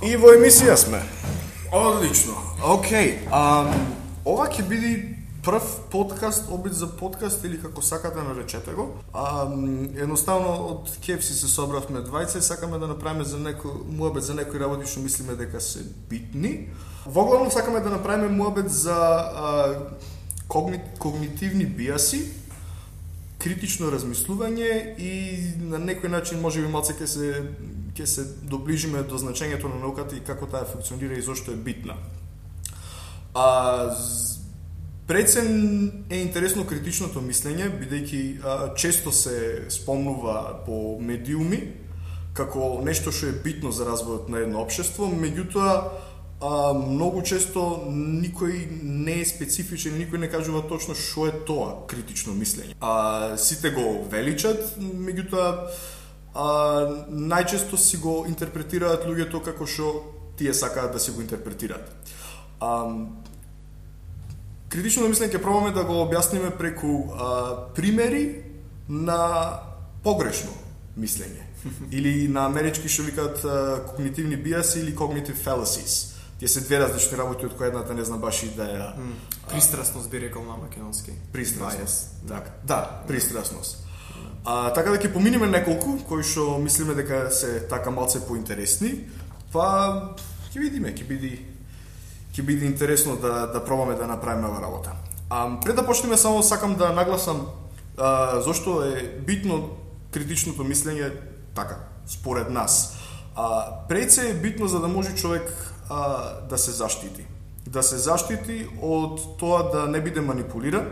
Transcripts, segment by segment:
И во емисија сме. Одлично. Океј. Ова ќе биде прв подкаст, обид за подкаст или како сакате наречете го. Едноставно од KFC се собравме двајца и сакаме да направиме за некој муабет за некои работи што мислиме дека се битни. Воглавно сакаме да направиме муабет за когнитивни биаси, критично размислување и на некој начин можеби малце ќе се доближиме до значењето на науката и како таа функционира и зошто е битна. Прецен е интересно критичното мислење, бидејќи често се спомнува по медиуми како нешто што е битно за развојот на едно општество, меѓутоа многу често никој не е специфичен, никој не кажува точно што е тоа критично мислење. Сите го величат, меѓутоа најчесто си го интерпретираат луѓето како што тие сакаат да си го интерпретираат. Критично мислење ќе пробаме да го објасниме преку примери на погрешно мислење или на амерички што викаат когнитивни биаси или cognitive fallacies. Тие се две различни работи од која едната не знам баш и да ја пристрасност би рекол на македонски. Пристрасност. Да, пристрасност. Така да ќе поминеме неколку кои што мислиме дека се така малце поинтересни, па ќе видиме, ќе биде интересно да пробаме да направиме ова работа. Пред да почнеме само сакам да нагласам зошто е битно критичното мислење така според нас. Пред се е битно за да може човек да се заштити. Да се заштити од тоа да не биде манипулиран,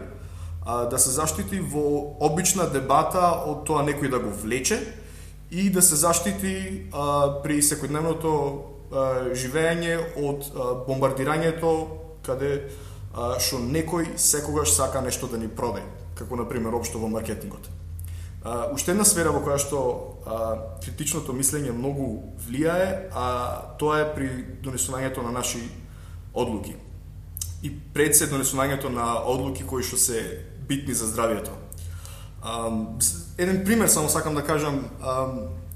да се заштити во обична дебата од тоа некој да го влече и да се заштити при секојдневното живење од бомбардирањето каде што некој секогаш сака нешто да ни продаде, како на пример општо во маркетингот. Уште една сфера во која што критичното мислење многу влијае, тоа е при донесувањето на наши одлуки. И пред се донесувањето на одлуки кои што се битни за здравието. Еден пример само сакам да кажам.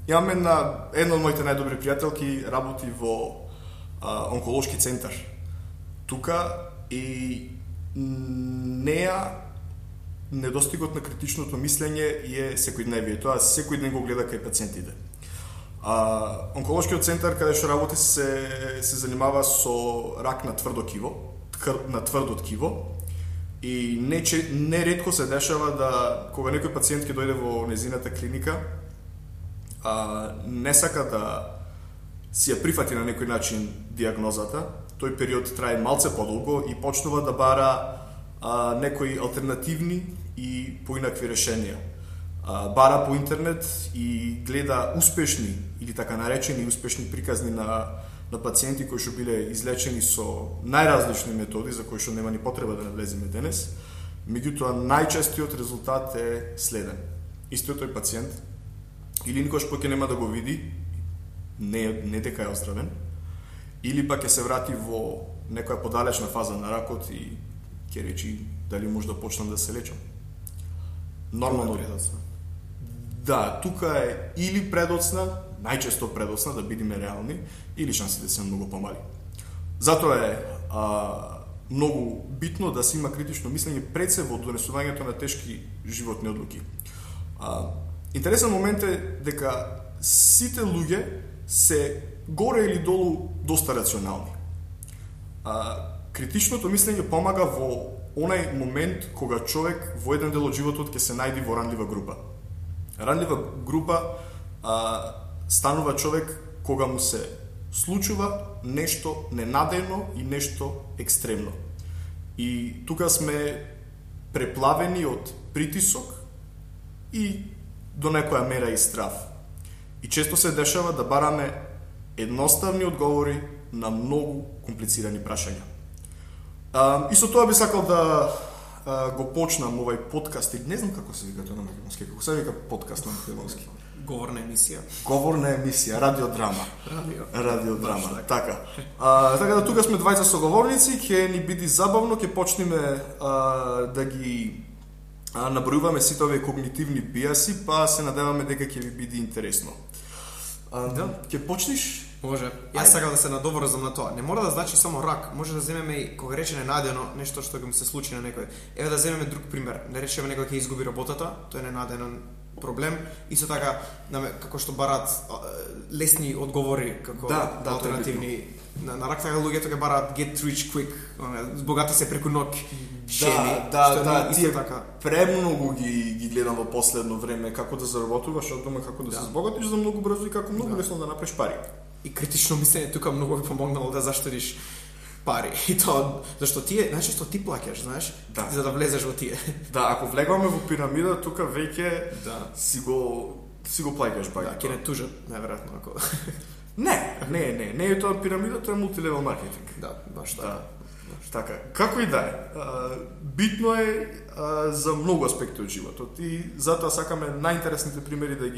Имам една од моите најдобри пријателки работи во онколошки центар. Тука и неа недостигот на критичното мислење е секојдневие. Тоа секој ден го гледа кај пациентите. Онколошкиот центар каде што работи се занимава со рак на тврдо ткиво и неретко се дешава да кога некој пациент ќе дојде во незината клиника не сака да си ја прифати на некој начин диагнозата, тој период трае малце подолго и почнува да бара некои алтернативни и поинакви решенија. Бара по интернет и гледа успешни или така наречени успешни приказни на пациенти кои што биле излечени со најразлични методи за кои што нема ни потреба да навлеземе денес. Меѓутоа најчестиот резултат е следен. Истиот тој пациент или никош поќе нема да го види, не дека е оздравен, или пак ќе се врати во некоја подалечна фаза на ракот и ќе речи дали може да почнам да се лечам. Нормално предоцна. Да, тука е или предоцна, најчесто предоцна, да бидеме реални, или шансите се многу помали. Затоа е многу битно да се има критично мислење пред се во донесувањето на тешки животни одлуки. Интересен момент е дека сите луѓе се горе или долу доста рационални. Критичното мислење помага во онај момент кога човек во еден дел од животот ќе се најди во ранлива група. Ранлива група станува човек кога му се случува нешто ненадејно и нешто екстремно. И тука сме преплавени од притисок и до некоја мера и страв. И често се дешава да бараме едноставни одговори на многу комплицирани прашања. И со тоа би сакал да го почнам овај подкаст, и не знам како се вика тоа на македонски, како се вика подкаст на македонски. Говорна емисија. Говорна емисија, радиодрама. Радиодрама, така. Така да тука сме двајца соговорници, ќе ни биде забавно, ќе почнеме да ги набројуваме сите овие когнитивни биаси, па се надеваме дека ќе ви биде интересно. Ќе почнеш? Може. Јас сакам да се надоврзам на тоа. Не мора да значи само рак, може да земеме и кога рече ненадено нешто што ќе му се случи на некој. Еве да земеме друг пример. Да речеме некој ќе изгуби работата, тоа е ненаденен проблем. Исто така, како што бараат лесни одговори како алтернативни на рак, така луѓето ќе бараат get rich quick, збогати се преку ноќ. Тие така премногу ги гледам во последно време како да заработуваш од дома, како да се збогатиш за многу брзо и како многу лесно да направиш пари. И критично мислење тука многу ви помогнало да заштедиш пари. И тоа зашто тие најчесто ти плаќаш, знаеш, за да влезеш во тие. Да, ако влегваме во пирамида, тука веќе си го плаќаш пари. Да, ќе не тужат најверојатно ако Не е тоа пирамида, тоа е мултилевел маркетинг. Да, баш така. Така, како и да е, битно е за многу аспекти од животот и затоа сакаме најинтересните примери да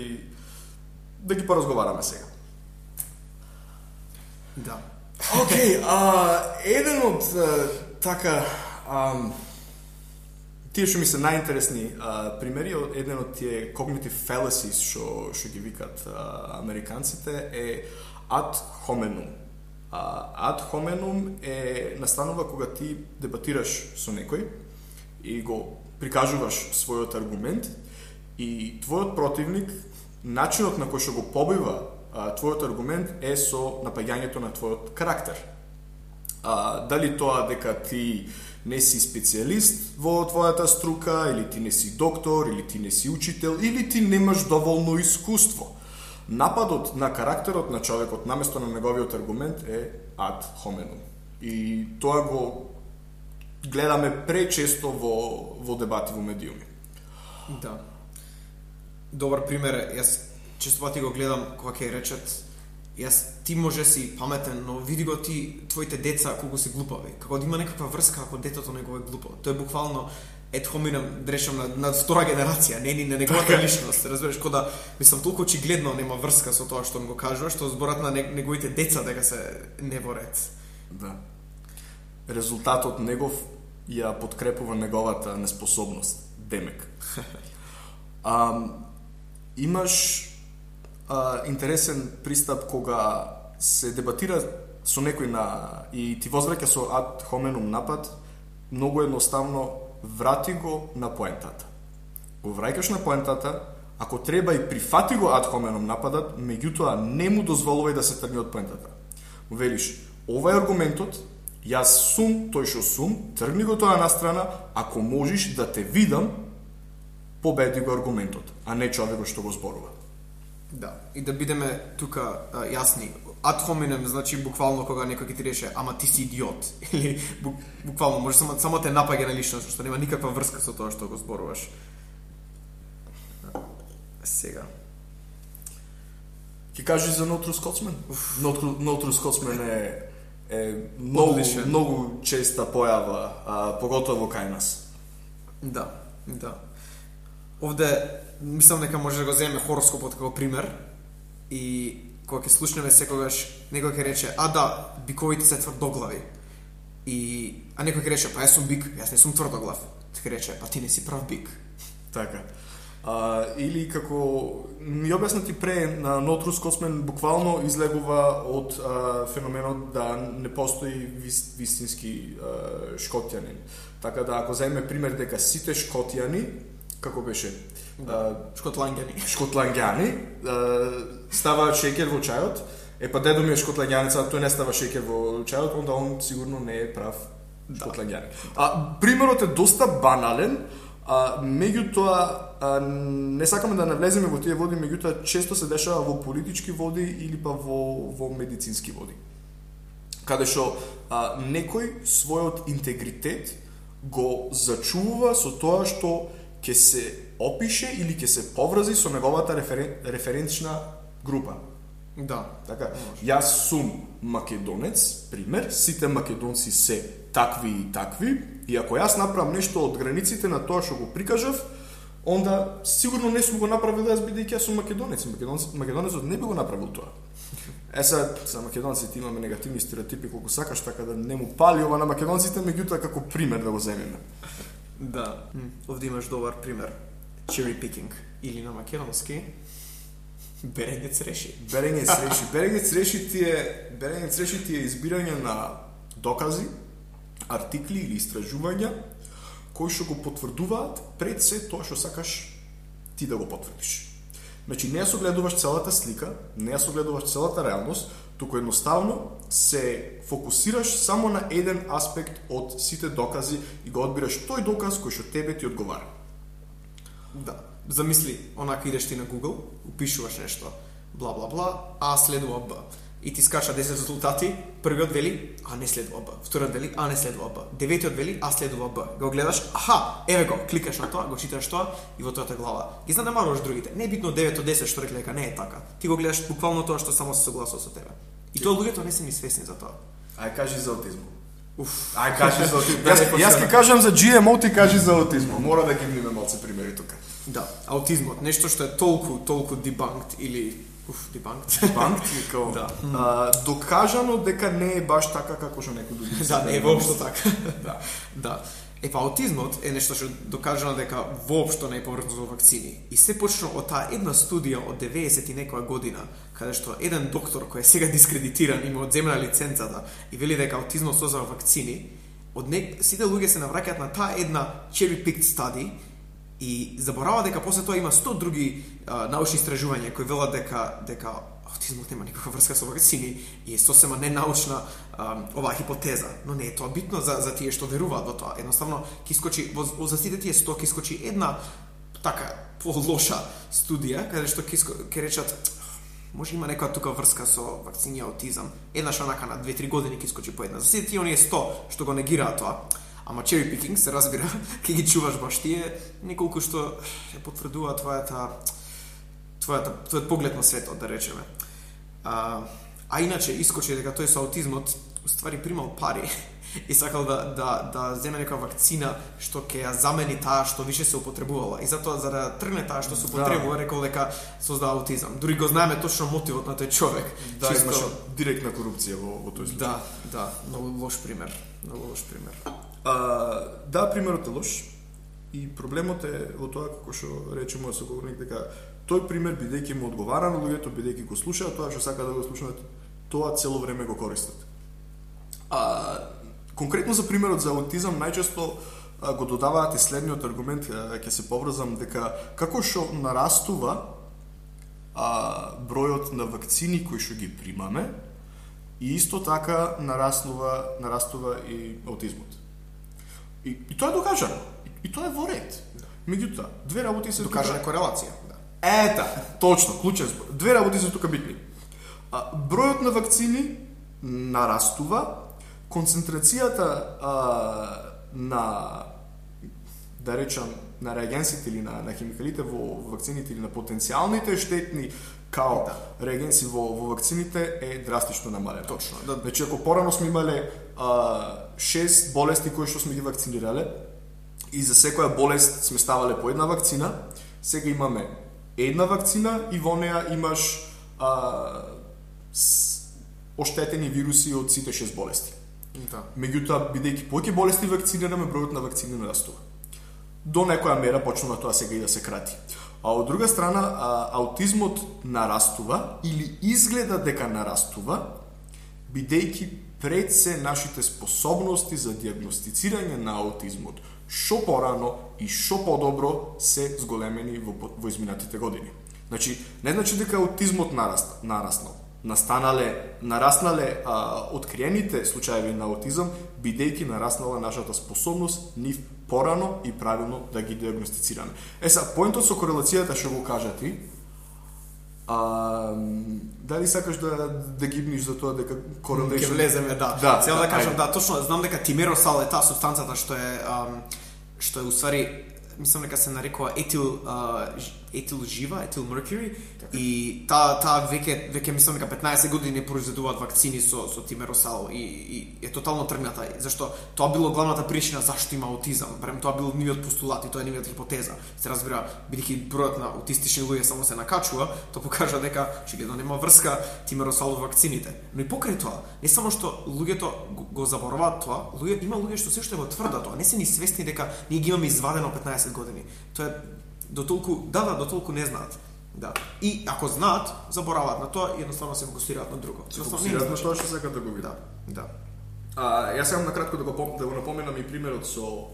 ги поразговараме сега. Да. Океј, еден од тие што ми се најинтересни примери, еден од тие cognitive fallacies што ги викат американците е ad hominem. Ad hominem е настанува кога ти дебатираш со некој и го прикажуваш својот аргумент и твојот противник, начинот на кој што го побива твојот аргумент е со напаѓањето на твојот карактер. Дали тоа дека ти не си специјалист во твојата струка, или ти не си доктор, или ти не си учител, или ти немаш доволно искуство. Нападот на карактерот на човекот наместо на неговиот аргумент е ad hominem. И тоа го гледаме пречесто во дебати во медиуми. Да. Добар пример е, јас често пати го гледам кога ќе речат ти може си паметен, но види го ти твоите деца колку се глупави. Како да има некаква врска ако детето него е глупо. Тоа е буквално ед хоминем, дрешам на втора генерација, не на неговата личност, разбереш, кога мислам толку очигледно нема врска со тоа што му го кажува, што зборат на неговите деца дека се не во ред. Да. Резултатот негов ја подкрепува неговата неспособност, демек. Имаш интересен пристап кога се дебатира со некој и ти возвраќа со ad hominem напад, многу едноставно врати го на поентата. Го враќаш на поентата, ако треба и прифати го ad hominem нападат, меѓутоа не му дозволувај да се тргне од поентата. Велиш, ова е аргументот, јас сум тој што сум, тргни го тоа на страна, ако можеш да те видам, победи го аргументот, а не човекот што го зборува. Да, и да бидеме тука јасни. Ad hominem значи буквално кога некој ќе ти рече ама ти си идиот или буквално може само те напаѓа на личност, што нема никаква врска со тоа што го зборуваш. Сега ќе кажеш за No True Scotsman? No True Scotsman е многу честа појава, поготово кај нас. Да. Овде мислам дека може да го земеме хороскопот како пример и кога ќе слушнеме секогаш некој ќе рече биковите се тврдоглави. А некој ќе рече јас сум бик, јас не сум тврдоглав. Ќе рече ти не си прав бик. Така. Или како ми објаснати пре на No True Scotsman буквално излегува од феноменот да не постои вистински шкотјанин. Така да ако земеме пример дека сите шкотјани како беше? Шкотланѓани ставаат шеќер во чајот. Дедо ми е шкотланѓанец, а тој не става шеќер во чајот, онда он сигурно не е прав шкотланѓанин. Примерот е доста банален, меѓутоа не сакаме да навлеземе во тие води, меѓутоа често се дешава во политички води или па во медицински води. Каде што некој својот интегритет го зачува со тоа што ќе се опише или ќе се поврзи со неговата референчна група. Да. Така, јас сум македонец, пример, сите македонци се такви и такви, и ако јас направам нешто од границите на тоа што го прикажав, онда сигурно не сум го направил јас бидејќи јас сум македонец. Македонецот не би го направил тоа. За македонците имаме негативни стереотипи колку сакаш, така да не му пали ова на македонците, меѓутоа како пример да го земеме. Да, овде имаш добар пример. Cherry picking или на македонски Берењец реши. Берењец реши ти е избирање на докази, артикли или истражувања кои што го потврдуваат пред се тоа што сакаш ти да го потврдиш. Значи, не ја согледуваш целата слика, не ја согледуваш целата реалност, туку едноставно се фокусираш само на еден аспект од сите докази и го одбираш тој доказ кој што тебе ти одговара. Да. Замисли, онака идеш ти на Google, упишуваш нешто, бла бла бла, А следува Б. И ти скача 10 резултати, првиот вели А не следува Б, вториот вели А не следува Б, деветиот вели А следува Б. Го гледаш, аха, еве го, кликаш на тоа, го читаш тоа и во тојата глава ги занемаруваш другите. Не е битно 9 од 10 што рекле дека не е така. Ти го гледаш буквално тоа што само се согласува со тебе. И тоа луѓето не се ни свесни за тоа. Ај кажи за аутизмот. Ај кажи за аутизмот. Јас ќе кажам за GMO, ти кажи за аутизмот. Мора да ги имаме малце примери тука. Да, аутизмот, нешто што е толку debunked или debunked како да. Докажано дека не е баш така како што некој други. Да, не е воопшто така. Да. Да. Аутизмот е нешто што докажано дека воопшто не е поврзано со вакцини. И се почна од таа една студија од 90 и некоја година, каде што еден доктор кој е сега дискредитиран и му одземна лиценцата и вели дека аутизмот создава вакцини, сите луѓе се навраќаат на таа една cherry-picked study и заборава дека после тоа има 100 други научни истражувања кои велат дека аутизмот нема никаква врска со вакцини и е сосема ненаучна оваа хипотеза, но не е тоа битно за тие што веруваат во тоа. Едноставно ќе искочи за сите тие 100 ќе искочи една така полоша студија каде што ќе речат може има некоја тука врска со вакцини и аутизам. Еднаш онака на 2-3 години ќе искочи по една. За сите тие оние 100 што го негираат тоа, ама cherry picking се разбира, ќе ги чуваш баш тие неколку што ја потврдуваат твојот поглед на светот, да речеме. А иначе искочи дека тој со аутизмот уствари примал пари и сакал да земе некоја вакцина што ќе ја замени таа што више се употребувала. И затоа за да тргне таа што се употребува, рекол дека создава аутизам. Дури го знаеме точно мотивот на тој човек. Да, имаше директна корупција во тој случај. Да, многу лош пример. Да, примерот е лош. И проблемот е во тоа како што рече мојот соговорник дека тој пример бидејќи му одговара на луѓето, бидејќи го слушаат тоа што сака да го слушаат, тоа цело време го користат. Конкретно за примерот за аутизам најчесто го додаваат и следниот аргумент, ќе се поврзам дека како што нарастува бројот на вакцини кои што ги примаме и исто така нараснува и аутизмот. И тоа е докажано. И тоа е во ред. Меѓутоа, две работи се докажана корелација. Ета, точно, клучен збор. Две работи се тука битни. Бројот на вакцини нарастува, концентрацијата на да речам на реагенсите или на химикалите во вакцините или на потенцијалните штетни као реагенси во вакцините е драстично намалена. Точно. Значи ако порано сме имале 6 болести кои што сме ги вакцинирале и за секоја болест сме ставале по една вакцина, сега имаме една вакцина и во неа имаш оштетени вируси од сите 6 болести. Да. Меѓутоа, бидејќи повеќе болести вакцинираме, бројот на вакцини нарастува. До некоја мера почнува тоа сега и да се крати. А од друга страна, аутизмот нарастува или изгледа дека нарастува, бидејќи пред се нашите способности за диагностицирање на аутизмот шо порано и шо подобро се зголемени во изминатите години. Значи, не значи дека аутизмот нараснал. Нараснале откриените случаеви на аутизам, бидејќи нараснала нашата способност нив порано и правилно да ги диагностицираме. Поентот со корелацијата што го кажа ти, дали сакаш да гибниш за тоа дека корелација... Ке влеземе, да. Цел да кажам, да, точно, знам дека тимеросал е таа субстанцата што е уствари, мислам дека се нарекува етил жива, етил меркури, и таа веќе мислам дека 15 години произведуваат вакцини со тимеросал и е тотално тргната, зашто тоа било главната причина зашто има аутизам. Барем тоа било нивниот постулат и тоа е нивниот хипотеза. Се разбира, бидејќи бројот на аутистични луѓе само се накачува, тоа покажа дека очигледно нема врска тимеросал во вакцините. Но и покрај тоа, не само што луѓето го забораваат тоа, има луѓе што се уште го тврдат тоа, не се ни свесни дека ние ги имаме извадено 15 години. Тоа е до толку не знаат. Да. И ако знаат, забораваат на тоа и едноставно се фокусираат на друго. Се фокусираат на тоа што сакаат да го видат. Да. Јас сакам накратко да го напоменам и примерот со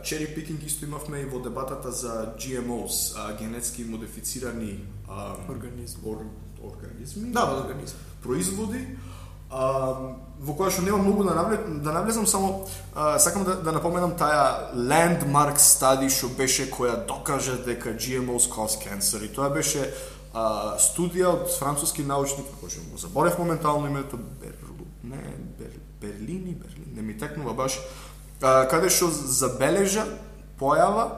cherry picking, исто имавме и во дебатата за GMOs, генетски модифицирани организми. Да, организми. Производи, во која што нема многу да навлезам, само сакам да напоменам таа landmark study што беше која докажа дека GMOs cause cancer, и тоа беше студија од француски научник, кој што го заборев моментално името, Берлини, не ми текнува баш, каде што забележа појава,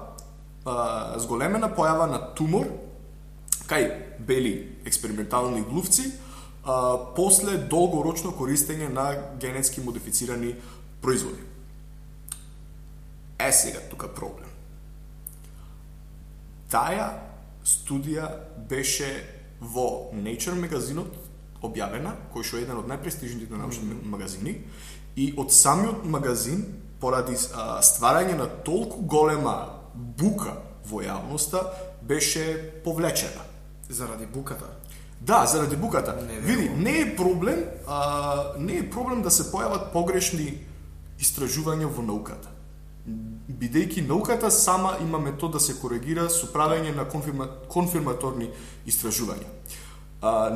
зголемена појава на тумор кај бели експериментални глувци после долгорочно користење на генетски модифицирани производи. Сега тука проблем. Таа студија беше во Nature магазинот објавена, кој што е еден од најпрестижните научни магазини, и од самиот магазин, поради стварање на толку голема бука во јавноста, беше повлечена. Заради буката? Да, заради буката. Види, не е проблем да се појават погрешни истражувања во науката. Бидејќи науката сама има метод да се коригира со правење на конфирматорни истражувања.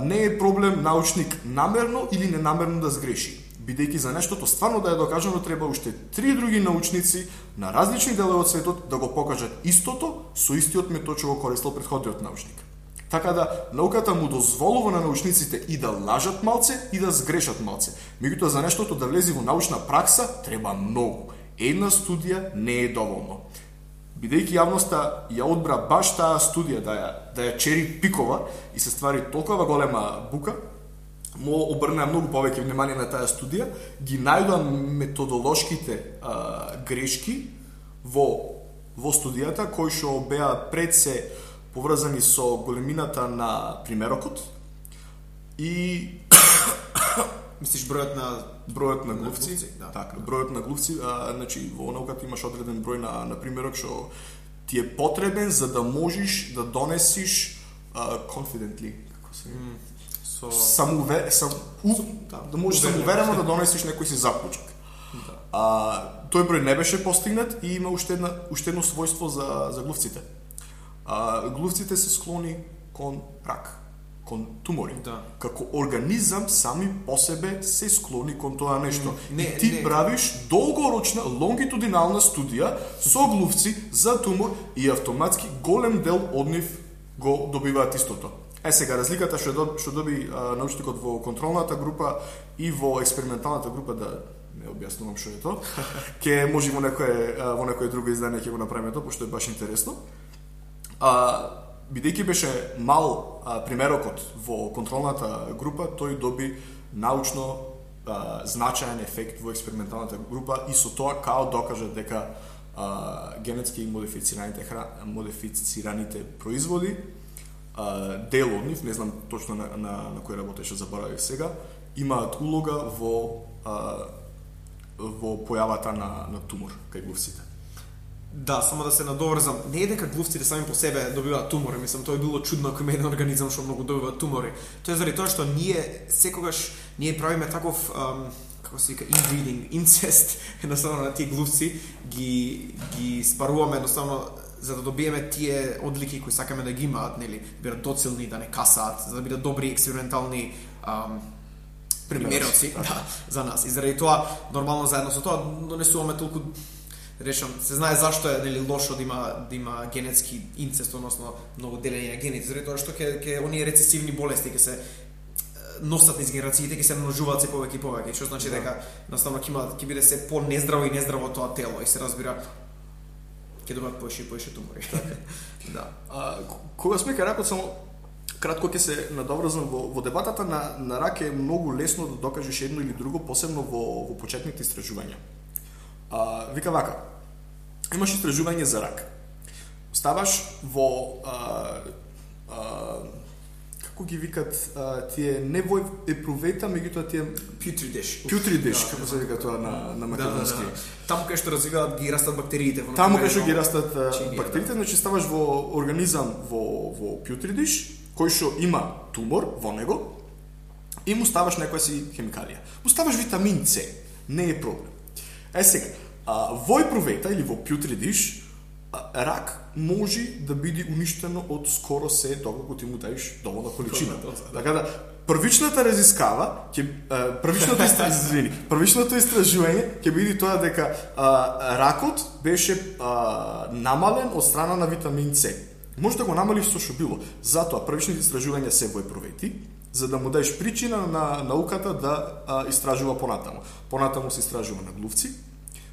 Не е проблем научник намерно или ненамерно да сгреши, бидејќи за нештото стварно да е докажано треба уште 3 други научници на различни делови од светот да го покажат истото со истиот метод што го користел претходниот научник. Така да науката му дозволува на научниците и да лажат малце и да сгрешат малце. Меѓутоа за нештото да влезе во научна пракса треба многу. Една студија не е доволно. Бидејќи јавноста ја одбра баш таа студија да ја чери пикова и се ствари толкова голема бука, му обрнаа многу повеќе внимание на таа студија, ги најдоа методолошките грешки во студијата, кои што беа пред се поврзани со големината на примерокот и мислиш бројот на глувци, да. Така, бројот на глувци, значи во науката имаш одреден број на примерок што ти е потребен за да можеш да донесиш confidently, како се да можеш самоуверено да донесиш некој си заклучок. Да. Тој број не беше постигнат и има уште едно својство за глувците. Глувците се склони кон рак, кон тумори. Да. Како организам сами по себе се склони кон тоа нешто. Ти правиш долгорочна лонгитудинална студија со глувци за тумор и автоматски голем дел од нив го добиваат истото. Сега разликата што доби научникот во контролната група и во експерименталната група, да не објаснувам што е тоа, ќе може во некое друго издание ќе го направиме тоа, пошто е баш интересно. Бидејќи беше мал примерокот во контролната група, тој доби научно значаен ефект во експерименталната група и со тоа као докажа дека генетски модифицираните производи, дел од нив, не знам точно на кој работеше, заборавив сега, имаат улога во појавата на тумор кај глувците. Да, само да се надоврзам, не е дека глувците сами по себе добиваат тумори, мислам, тоа е било чудно ако има еден организам што многу добива тумори. Тоа е заради тоа што ние секогаш правиме таков како се вика inbreeding, инцест, едноставно на тие глувци ги спаруваме едноставно за да добиеме тие одлики кои сакаме да ги имаат, нели, бидат доцилни, да не касаат, за да бидат добри експериментални примероци, да, за нас. И заради тоа нормално заедно со тоа донесуваме толку се знае зашто е, нели, лошо да има генетски инцест, односно многу делење на гените, заради тоа што ќе оние рецесивни болести ќе се носат низ генерациите, ќе се множуваат се повеќе и повеќе, што значи дека наставно ќе биде се по-нездраво и нездраво тоа тело и се разбира ќе добиваат поише и поише тумори. Да. Кога сме кај ракот, само кратко ќе се надоврзам во дебатата на рак, е многу лесно да докажеш едно или друго, посебно во почетните истражувања. Вика вака, имаш истражување за рак. Ставаш во како ги викат тие не вој епрувета, меѓутоа тие Putrid dish. Putrid dish, како се вика тоа на македонски. Таму кај што развиваат ги растат бактериите во Таму кај што ги растат бактериите, значи ставаш во организам во putrid dish, кој што има тумор во него и му ставаш некоја си хемикалија. Му ставаш витамин С, не е проблем. Сега, во епрувета или во putrid dish рак може да биде уништено од скоро се доколку ти му даеш доволна количина. Така да првичното истражување ќе биде тоа дека ракот беше намален од страна на витамин С. Може да го намалиш со што било. Затоа првичните истражувања се во епрувети, за да му даеш причина на науката да истражува понатаму. Понатаму се истражува на глувци,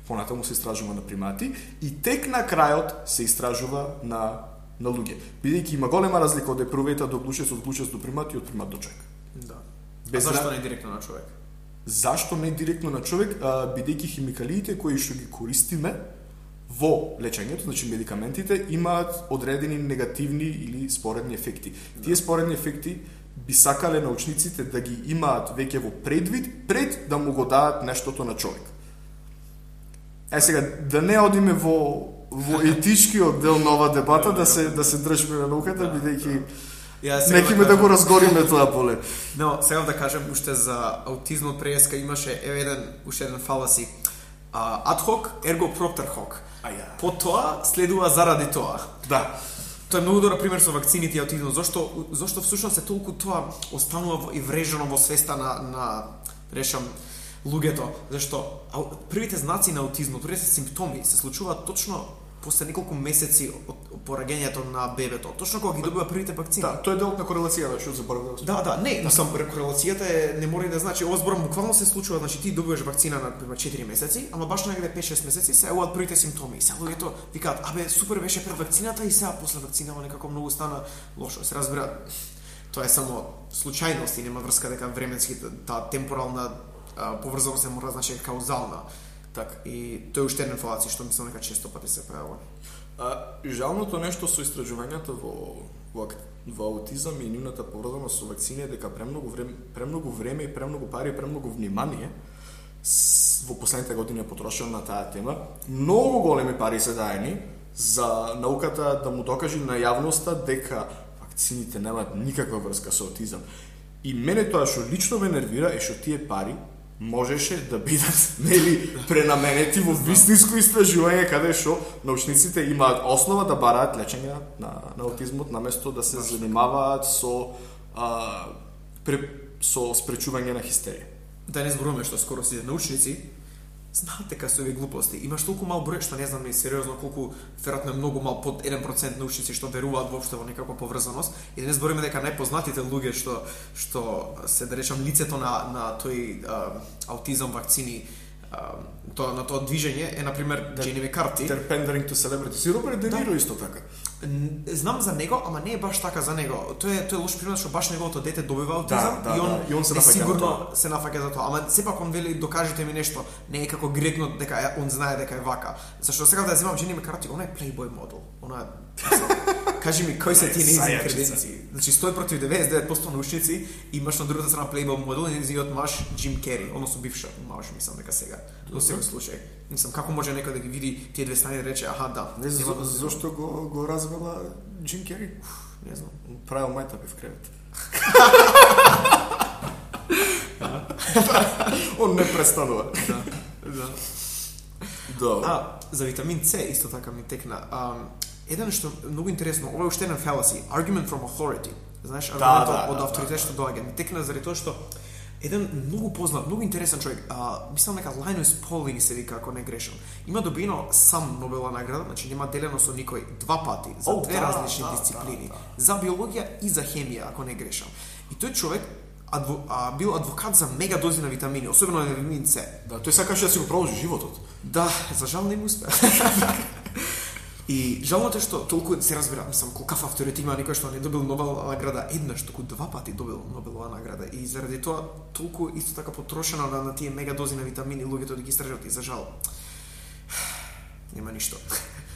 понатаму се истражува на примати и тек на крајот се истражува на луѓе. Бидејќи има голема разлика од епрувета до глучец, од глучец до примати и од примат до човек. Да. Зашто не директно на човек? Зашто не директно на човек? Бидејќи химикалиите кои што ги користиме во лечењето, значи медикаментите, имаат одредени негативни или споредни ефекти. Тие споредни ефекти би сакале научниците да ги имаат веќе во предвид, пред да му го дадат нештото на човек. Сега, да не одиме во етичкиот дел на ова дебата, да се држиме на науката, бидејќи некиме да го разгориме тоа поле. Но, сега да кажем уште за аутизмот преска имаше уште еден фаласи. Ad hoc, ergo propter hoc. По тоа следува заради тоа. Да. Тоа е многу добар пример со вакцините и аутизмот. Зошто всушност е толку тоа останува и врежано во свеста на луѓето, зашто првите знаци на аутизмот, првите симптоми се случуваат точно после неколку месеци од пораѓањето на бебето, точно кога ги добива првите вакцини. Да, тоа е дел на корелацијата, што заборавив. Да, мислам корелацијата не мора да значи, ова зборам буквално се случува, значи ти добиваш вакцина на 4 месеци, ама баш негде 5-6 месеци се јавуваат првите симптоми. И сега луѓето викаат: "Абе, супер беше пред вакцината и сега после вакцинава некако многу стана лошо." Се разбира, тоа е само случајност и нема врска дека временски таа темпорална поврзаност се мора значи каузална. Так, и тој е уште еден фалаци што мислам дека често пати се појавува. Жалното нешто со истражувањата во аутизам и нивната поврзаност со вакцини е дека премногу време и премногу пари и премногу внимание во последните години е потрошено на таа тема. Многу големи пари се даени за науката да му докаже на јавноста дека вакцините немаат никаква врска со аутизам. И мене тоа што лично ме нервира е што тие пари можеше да бидат пренаменети во вистинско истражување каде што научниците имаат основа да бараат лечење на аутизмот наместо да се занимаваат со спречување на хистерија. Да не зборуваме што скоро сите научници знаат дека се овие глупости. Имаш толку мал број што не знам ни сериозно колку, веројатно е многу мал, под 1% научници што веруваат воопшто во некаква поврзаност. И да не збориме дека најпознатите луѓе што се да речам лицето на тој аутизам вакцини, на тоа движење е на пример Джени Мекарти. Pandering to celebrity. Си Роберт Де Ниро исто така. Знам за него, ама не е баш така за него. Тој е лош пример што баш неговото дете добива аутизам и он се сигурно се нафаќа за тоа. Ама сепак он вели докажете ми нешто. Не е како директно дека он знае дека е вака. Зашто сега да земам Джени Мекарти, она е плейбој модел. Она кажи ми кои се тие нејзини креденции. Значи 100 против 99% научници, имаш на другата страна плейбој модел и нејзиниот маж Джим Кери, односно бивша маж, мислам дека сега. Во секој случај. Мислам како може некој да ги види тие две страни и да рече аха да. Не знам зошто го развела Джим Кери. Не знам. Правил мајтапи в кревет. Он не престанува. Да. За витамин С исто така ми текна. Еден што многу интересно, ова е уште еден fallacy, argument from authority. Знаеш, аргументот од авторитет што доаѓа. Ми текна заради тоа што еден многу познат, многу интересен човек, мислам дека Linus Pauling се вика, ако не грешам. Има добиено сам Нобелова награда, значи нема делено со никој 2 пати за две различни дисциплини, за биологија и за хемија, ако не грешам. И тој човек бил адвокат за мега дози на витамини, особено на витамин С. Да, тој сакаше да си го продолжи животот. Да, за жал не му успеа. И жалното е што толку се разбира, мислам, колкав авторитет има некој што не добил Нобелова награда еднаш, туку 2 пати добил Нобелова награда. И заради тоа толку исто така потрошено на тие мега дози на витамини луѓето да ги истражат и за жал нема ништо.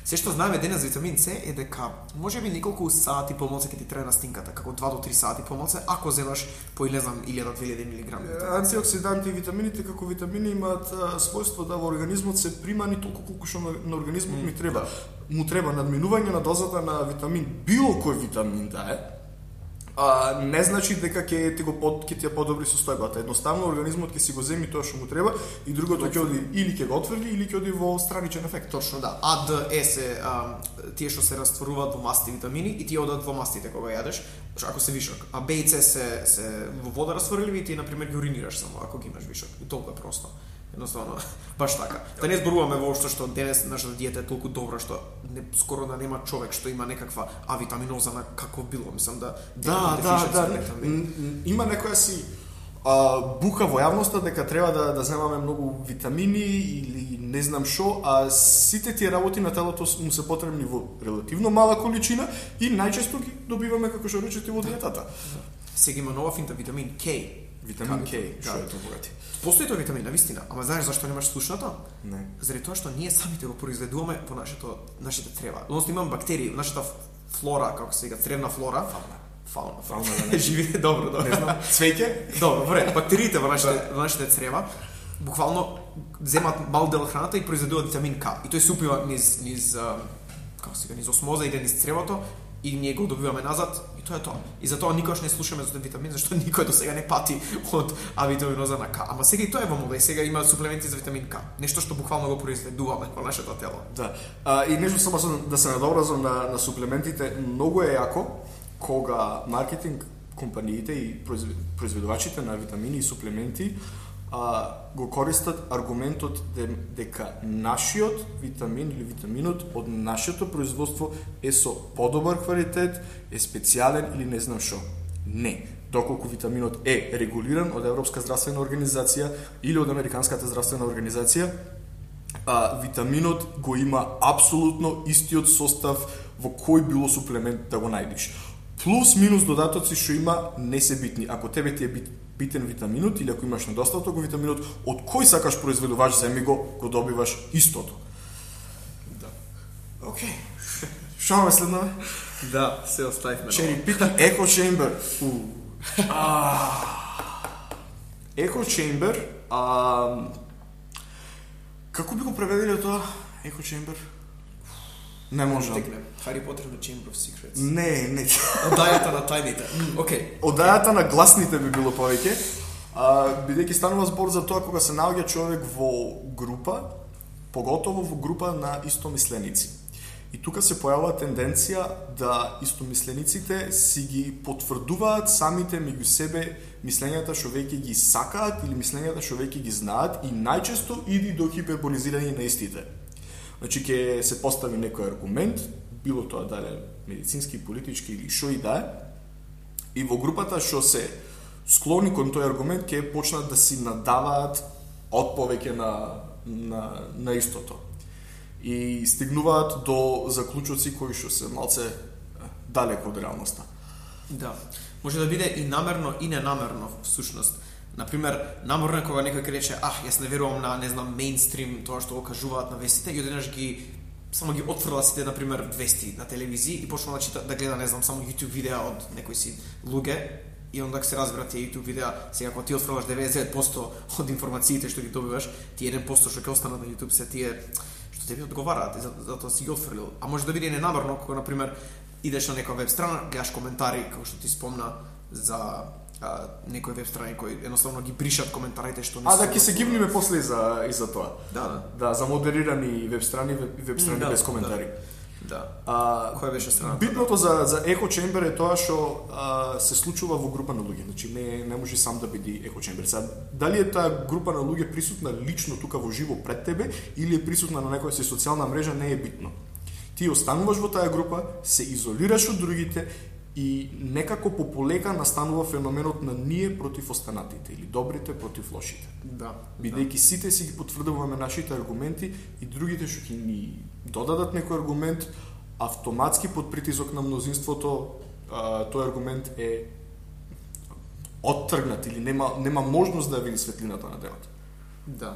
Се што знаеме денес за витамин С е дека можеби неколку сати помалку ќе ти трае настинката, како 2 до 3 сати помалку, ако земаш по не знам 1000-2000 милиграми. Антиоксиданти и витамините како витамини имаат својство да во организмот се примани толку колку што на организмот ми треба. Му треба надминување на дозата на витамин, било кој витамин да е. Не значи дека ќе ти ја подобри состојбата. Едноставно организмот ќе си го земи тоа што му треба и другото ќе оди или ќе го отфрли или ќе оди во страничен ефект. Точно да. А, Д, Е се тие што се растворуваат во масти витамини и тие одат во мастите кога јадеш, ако се вишок. А Б и С се во вода растворливи и ти на пример ги уринираш само ако ги имаш вишок. И толку е просто. Едноставно, баш така. Да не зборуваме воопшто што денес нашата диета е толку добра што скоро да нема човек што има некаква авитаминоза на какво било, мислам да. Има некоја си бука во јавноста дека треба да земаме многу витамини или не знам што, а сите тие работи на телото му се потребни во релативно мала количина и најчесто ги добиваме како што речете во диетата. Сега има нова финта витамин К. Витамин К, што е тоа богати? Постои тој витамин, навистина, ама знаеш зашто немаш слушнато? Не. Заради тоа што ние самите го произведуваме по нашите црева. Односно имаме бактерии, нашата флора, како се вика, цревна флора, фауна, живее добро. Не знам, цвеќе? Добро, вред, бактериите во нашите црева буквално земат мал дел од храната и произведуваат витамин К. И тој се упива низ осмоза иде низ цревото и ние го добиваме назад и тоа е тоа. И затоа никош не слушаме за тој витамин, зашто никој до сега не пати од авитаминоза на К. Ама сега и тоа е во мода и сега има суплементи за витамин К. Нешто што буквално го произведуваме во нашето тело. Да. И нешто само да се надобразам на суплементите, многу е јако кога маркетинг компаниите и произведувачите на витамини и суплементи го користат аргументот дека нашиот витамин или витаминот од нашето производство е со подобар квалитет, е специјален или не знам што. Не. Доколку витаминот е регулиран од Европска здравствена организација или од Американската здравствена организација, витаминот го има апсолутно истиот состав во кој било суплемент да го најдеш. Плюс минус додатоци што има не се битни. Ако тебе ти е битен витаминот или ако имаш недостаток во витаминот, од кој сакаш произведувач земи го добиваш истото. Да. Окей. Што ме следнаме? Да, се оставивме. Cherry Pit Echo Chamber. Echo Chamber, како би го преведиле тоа? Echo Chamber? Не можам. Harry Potter and the Chamber of Secrets. Не. Одајата на тајните. Океј. Одајата на гласните би било повеќе. Бидејќи станува збор за тоа кога се наоѓа човек во група, поготово во група на истомисленици. И тука се појавува тенденција да истомислениците си ги потврдуваат самите меѓу себе мислењата што веќе ги сакаат или мислењата што веќе ги знаат и најчесто иди до хиперболизирање на истите. Значи, ќе се постави некој аргумент, било тоа дали медицински, политички или шо и да е, и во групата што се склони кон тој аргумент ќе почнат да си надаваат од повеќе на истото. И стигнуваат до заклучоци кои што се малце далеко од реалноста. Да. Може да биде и намерно и ненамерно всушност. Например, намерно кога некој ќе рече, јас не верувам на, не знам, мејнстрим, тоа што го кажуваат на вестите, и одеднаш само ги отфрла сите, например, вести на телевизија и почнува да чита, да гледа, не знам, само YouTube видеа од некои си луѓе, и онда се разбира тие YouTube видеа, сега кога ти отфрлаш 99% од информациите што ги добиваш, ти 1% што ќе останат на YouTube се тие што тебе одговараат, и затоа си ги отфрлил. А може да биде ненамерно кога, например, идеш на некоја веб страна, гледаш коментари, како што ти спомна за некои веб страни кои едноставно ги бришат коментарите што не се. Да ќе се гивниме после и за тоа. Да, за модерирани веб страни без коментари. Да. Која беше страната? Битното за Echo Chamber е тоа што се случува во група на луѓе. Значи не може сам да биде Echo Chamber. Дали е таа група на луѓе присутна лично тука во живо пред тебе или е присутна на некоја си социјална мрежа, не е битно. Ти остануваш во таа група, се изолираш од другите и некако пополека настанува феноменот на ние против останатите или добрите против лошите. Да. Бидејќи сите си ги потврдуваме нашите аргументи и другите што ќе ни додадат некој аргумент, автоматски под притисок на мнозинството тој аргумент е оттргнат или нема можност да ја види светлината на денот. Да.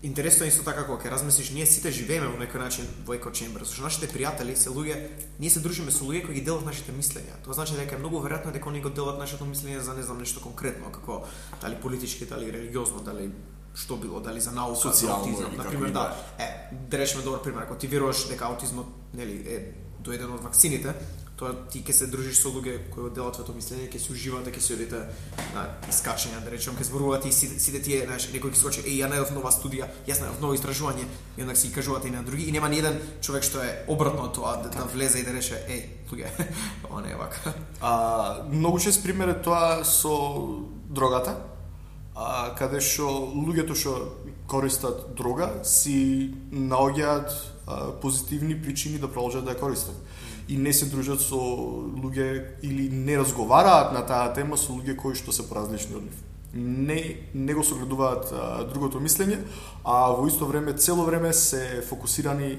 интересно е исто така кога ќе размислиш, ние сите живееме во некој начин во еко чембер. Со нашите пријатели се луѓе, ние се дружиме со луѓе кои ги делат нашите мислења. Тоа значи дека е многу веројатно дека они го делат нашето мислење за не знам нешто конкретно, како дали политички, дали религиозно, дали што било, дали за наука, социјално, за аутизам, на пример, да. Да речеме добар пример, ако ти веруваш дека аутизмот, нели, е доеден од вакцините, тоа ти ќе се дружиш со луѓе кои го делат твоето мислење, ќе се уживате, ќе се одите на искачања, да речем, ќе зборувате и сите тие, знаеш, некој ќе скочи, ја најдов нова студија, јас најдов ново истражување, и ондак си кажувате и на други, и нема ни еден човек што е обратно од тоа, да влезе и да рече, луѓе, ова не е вака. Многу чест пример е тоа со дрогата, каде што луѓето што користат дрога си наоѓаат позитивни причини да продолжат да ја користат. И не се дружат со луѓе или не разговараат на таа тема со луѓе кои што се поразлични од нив. Не го согледуваат другото мислење, а во исто време цело време се фокусирани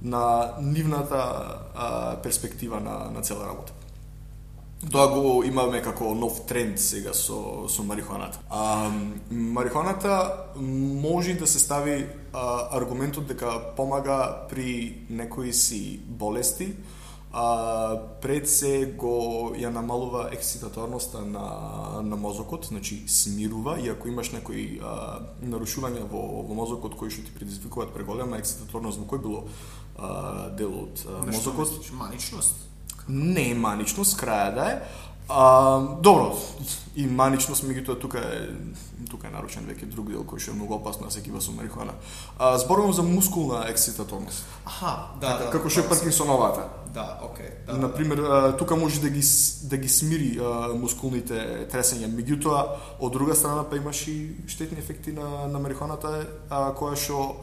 на нивната перспектива на цела работа. Тоа го имаме како нов тренд сега со марихуаната. Марихуаната може да се стави аргументот дека помага при некои си болести, пред се го ја намалува ексцитаторноста на мозокот, значи смирува, и ако имаш некои нарушувања во мозокот кои што ти предизвикуваат преголема ексцитаторност во кој било дел од мозокот. Маничност? Не е маничност, краја да е. Добро, и маничност, меѓутоа тука е нарушен веќе друг дел кој што е многу опасно да се кива со марихуана. Зборувам за мускулна ексцитаторност. Да. Како што е Паркинсоновата. Да, окей. Да. Например, тука може да ги смири мускулните тресења, меѓутоа од друга страна па имаш и штетни ефекти на марихуаната, која што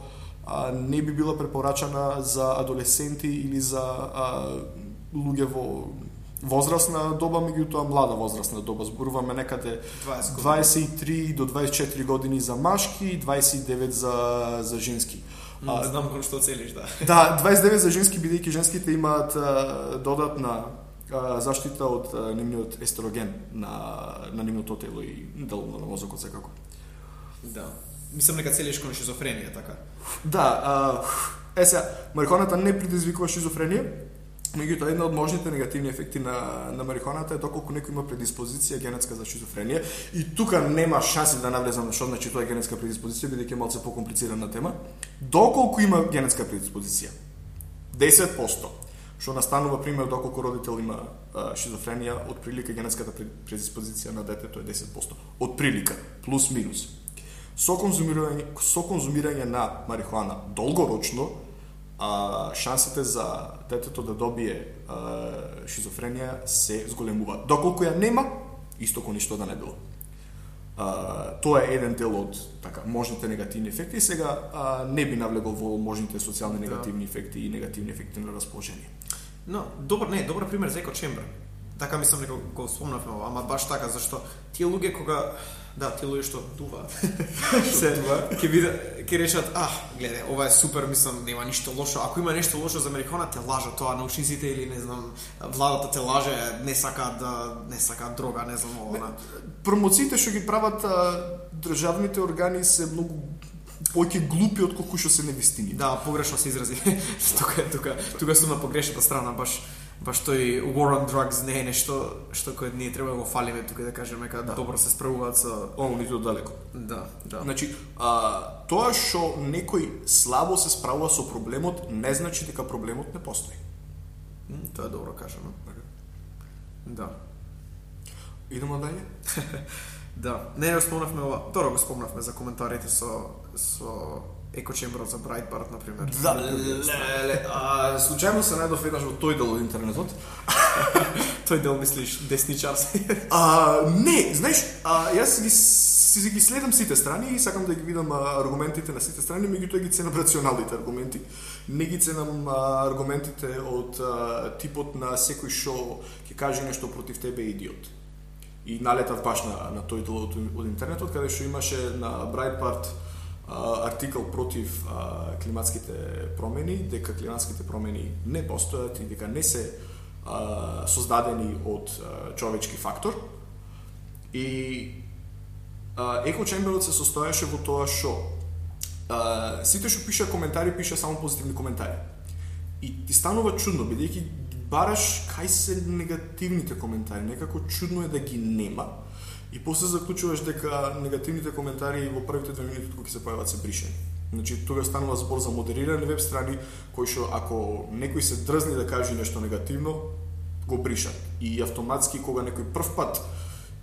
не би била препорачана за адолесценти или за луѓе во возрастна доба, меѓутоа млада возрастна доба. Зборуваме некаде 23 до 24 години за машки, 29 за женски. Знам кон што целиш, да. Да, 29 за женски, бидејќи женските имаат додатна заштита од нивниот естероген на нивното тело и деловно на мозокот секако. Да. Мислам дека целиш кон шизофренија, така. Да, сега, марихуаната не предизвикува шизофренија, меѓутоа една од можните негативни ефекти на марихуаната е доколку некој има предиспозиција генетска за шизофренија, и тука нема шанси да навлезам на што значи тоа генетска предиспозиција, бидејќи е малце покомплицирана тема. Доколку има генетска предиспозиција, 10%, што настанува пример доколку родител има шизофренија, од прилика генетската предиспозиција на детето е 10%. Од прилика, плюс минус. Со конзумирање на марихуана долгорочно, шансите за детето да добие шизофренија се зголемуваат. Доколку ја нема, исто ко ништо да не било. Тоа е еден дел од можните негативни ефекти. Сега не би навлегол во можните социјални негативни ефекти и негативни ефекти на расположение. Но, добар пример за еко чембер. Така мислам дека го спомнавме, ама баш така, зашто тие луѓе кога тие луѓе што дуваат ќе речат, гледај, ова е супер, мислам, нема ништо лошо. Ако има нешто лошо за марихуана, те лажат тоа научниците или не знам, владата те лаже, не сака дрога, не знам ова. Промоциите што ги прават државните органи се многу повеќе глупи од колку што се невистини. Да, погрешно се изрази. Тука сум на погрешната страна, баш тој war on drugs не е нешто што кој ние треба да го фалиме тука, да кажеме дека добро се справуваат со ниту далеко. Да. Значи, тоа што некој слабо се справува со проблемот не значи дека проблемот не постои. Тоа е добро кажано. Да. Идемо дале? Да. Не го спомнавме ова. Добро го спомнавме за коментарите со екочемберот за Breitbart, например. Да, случајно се најдов еднаш во тој дел од интернетот. Тој дел мислиш десничарски? Не, знаеш, јас ги следам сите страни и сакам да ги видам аргументите на сите страни, меѓутоа ги ценам рационалните аргументи. Не ги ценам аргументите од типот на секој што ќе каже нешто против тебе идиот. И налетав баш на тој дел од интернетот, каде што имаше на Breitbart артикл против климатските промени, дека климатските промени не постојат и дека не се создадени од човечки фактор. И екочемберот се состоеше во тоа што сите што пиша коментари, пиша само позитивни коментари. И ти станува чудно, бидејќи бараш кај се негативните коментари, некако чудно е да ги нема. И после заклучуваш дека негативните коментари во првите 2 минути кога ќе се појават се бришени. Значи, тога станува збор за модерирани веб страни, кои што ако некој се дрзни да каже нешто негативно, го бришат. И автоматски кога некој прв пат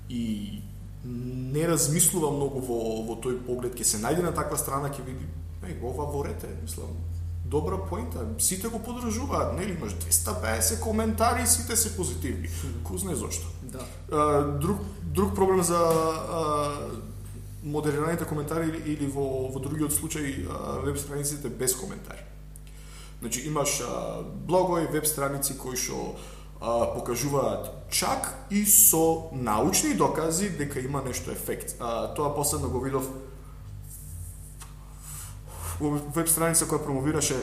и не размислува многу во тој поглед, ќе се најде на таква страна, ќе види, ова ворете, мислам, добра поинта, сите го поддржуваат, нели, имаш 250 коментари, сите се позитивни. Кој знае зошто. Да. Друг проблем за модерираните коментари или во другиот случај веб страниците без коментари. Значи имаш блогови, веб страници кои што покажуваат чак и со научни докази дека има нешто ефект. Тоа последно го видов во веб страница која промовираше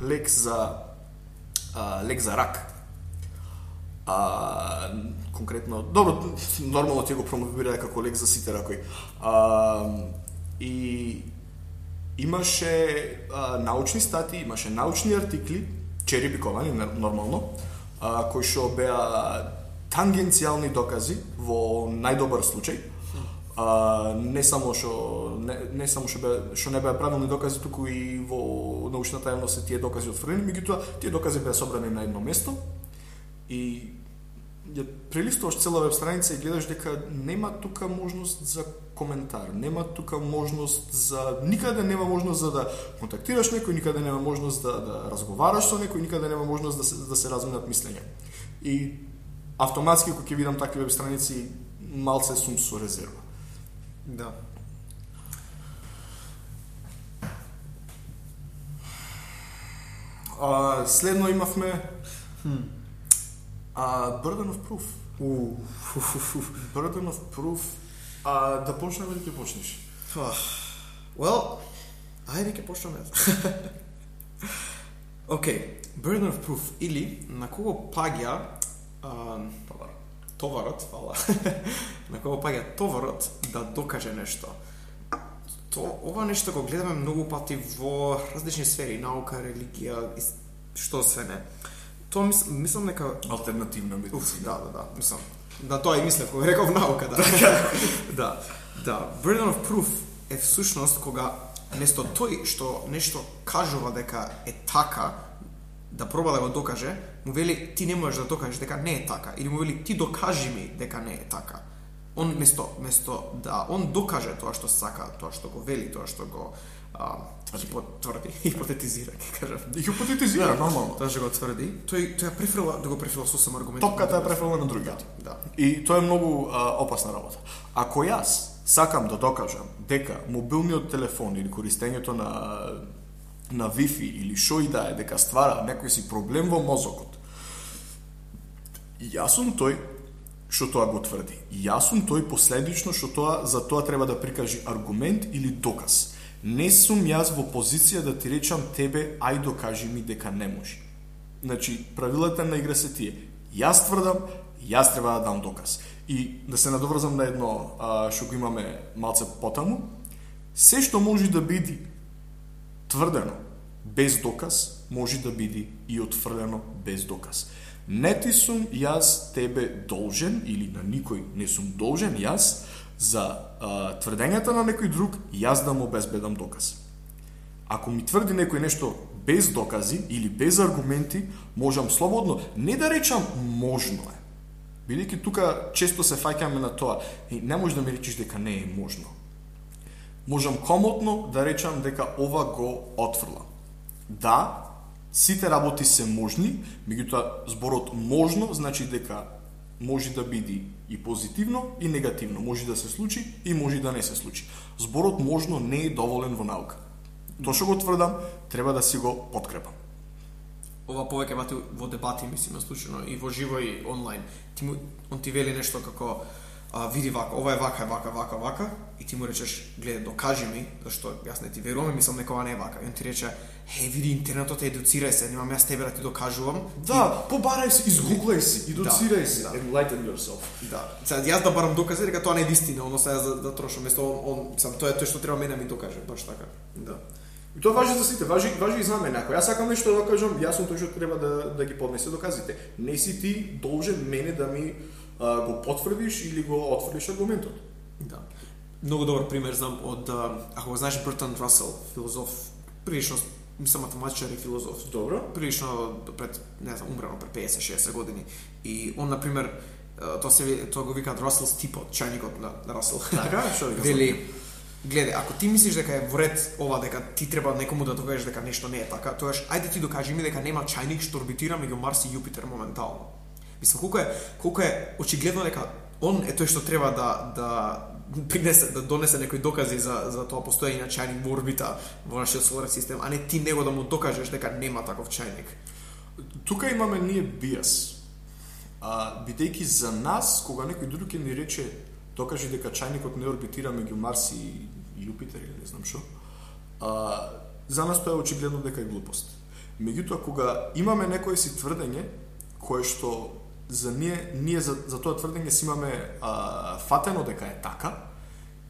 лек за рак. Конкретно, добро, нормално ти го промовира како лек за сите ракови. И имаше научни статии, имаше научни артикли, черепиковани нормално, кои што беа тангенцијални докази во најдобар случај. Не само што не беа правилни докази, туку и во научната јавност се тие докази отфрлени, меѓутоа тие докази беа собрани на едно место и ја прелистуваш цела веб страница и гледаш дека нема тука можност за коментар, нема тука можност за никаде нема можност за да контактираш некој, никаде нема можност да разговараш со некој, никаде нема можност да се разменат мислења. И автоматски кога ќе видам такви веб страници малце сум со резерва. Да. Следно имавме Burden of Proof. Burden of Proof. Да почнем или ќе почнеш? Well, ајде ќе почнеме. Океј, Burden of Proof или на кого паѓа товарот, фала. На кого паѓа товарот да докаже нешто. Ова нешто го гледаме многу пати во различни сфери, наука, религија, што се не. Тоа мислам дека алтернативна медицина. Да, мислам. Да, тоа и мислев кога реков наука, да. Да. Burden of Proof е всушност кога место тој што нешто кажува дека е така, да проба да го докаже, му вели ти не можеш да докажеш дека не е така, или му вели ти докажи ми дека не е така. Он место да он докаже тоа што сака, тоа што го вели, тоа што го хипотетизира, ќе кажам. Хипотетизира, нормално. Тоа што го тврди, тој ја префрла да го префрла сосем аргументи. Топката ја префрла на другиот. Да. И тоа е многу опасна работа. Ако јас сакам да докажам дека мобилниот телефон или користењето на Wi-Fi или шо и да е дека ствара некој си проблем во мозокот, јас сум тој што тоа го тврди. Јас сум тој последично што за тоа треба да прикажи аргумент или доказ. Не сум јас во позиција да ти речам тебе, ај докажи ми дека не може. Значи, правилата на игра се тие. Јас тврдам, јас треба да дам доказ. И да се надоврзам на едно што го имаме малце потаму, се што може да биде тврдено без доказ, може да биде и отфрлено без доказ. Не ти сум јас тебе должен, или на никој не сум должен јас, за тврдењата на некој друг, јас да му обезбедам доказ. Ако ми тврди некој нешто без докази или без аргументи, можам слободно не да речам можно е. Бидејќи тука често се фаќаме на тоа, и не можеш да ми речеш дека не е можно. Можам комотно да речам дека ова го отфрлам. Да, сите работи се можни, меѓутоа зборот можно значи дека може да биде и позитивно и негативно, може да се случи и може да не се случи. Зборот можно не е доволен во наука. Тоа што го тврдам, треба да си го подкрепам. Ова повеќе во дебати, мислим, случајно и во живо и онлайн. Он ти вели нешто како види вака, ова е вака, и ти му речеш, гледа, докажи ми, зашто јас не ти верувам, мислам дека ова не е вака. И он ти рече, види, интернетот едуцирај се, немам јас тебе да ти докажувам. Да, побарај се, изгуглај се, едуцирај се, enlighten yourself. Да. Сега јас да барам докази дека тоа не е вистина, оно сега да трошам, место тоа е тоа што треба мене ми докаже, баш така. Да. И тоа важи за сите, важи и за мене. Ако јас сакам нешто да кажам, јас сум тој што треба да ги поднесе доказите. Не си ти должен мене да ми го потврдиш или го отфрлиш аргументот. Да. Многу добар пример знам од, ако го знаеш, Бертранд Расел, филозоф, прилично, мислам математичар и филозоф. Добро. Прилично пред, не знам, умрено пред 50-60 години. И он, например, тоа го викаат Russell's teapot, чајникот на Расел. Така, што ви Вели, гледај, ако ти мислиш дека е во ред ова, дека ти треба некому да докажеш дека нешто не е така, тоаш ајде ти докажи ми дека нема чајник што орбитира меѓу Марс и Јупитер моментално. Мислам, колку е очигледно дека он е тој што треба да донесе некои докази за тоа постоење на чајник во орбита во нашиот соларен систем, а не ти него да му докажеш дека нема таков чајник. Тука имаме ние биас. Бидејќи за нас, кога некој друг ќе ни рече докажи дека чајникот не орбитира меѓу Марс и Јупитер или не знам што, за нас тоа е очигледно дека е глупост. Меѓутоа, кога имаме некое си тврдење, кое што за ние за тоа тврдење си имаме фатено дека е така,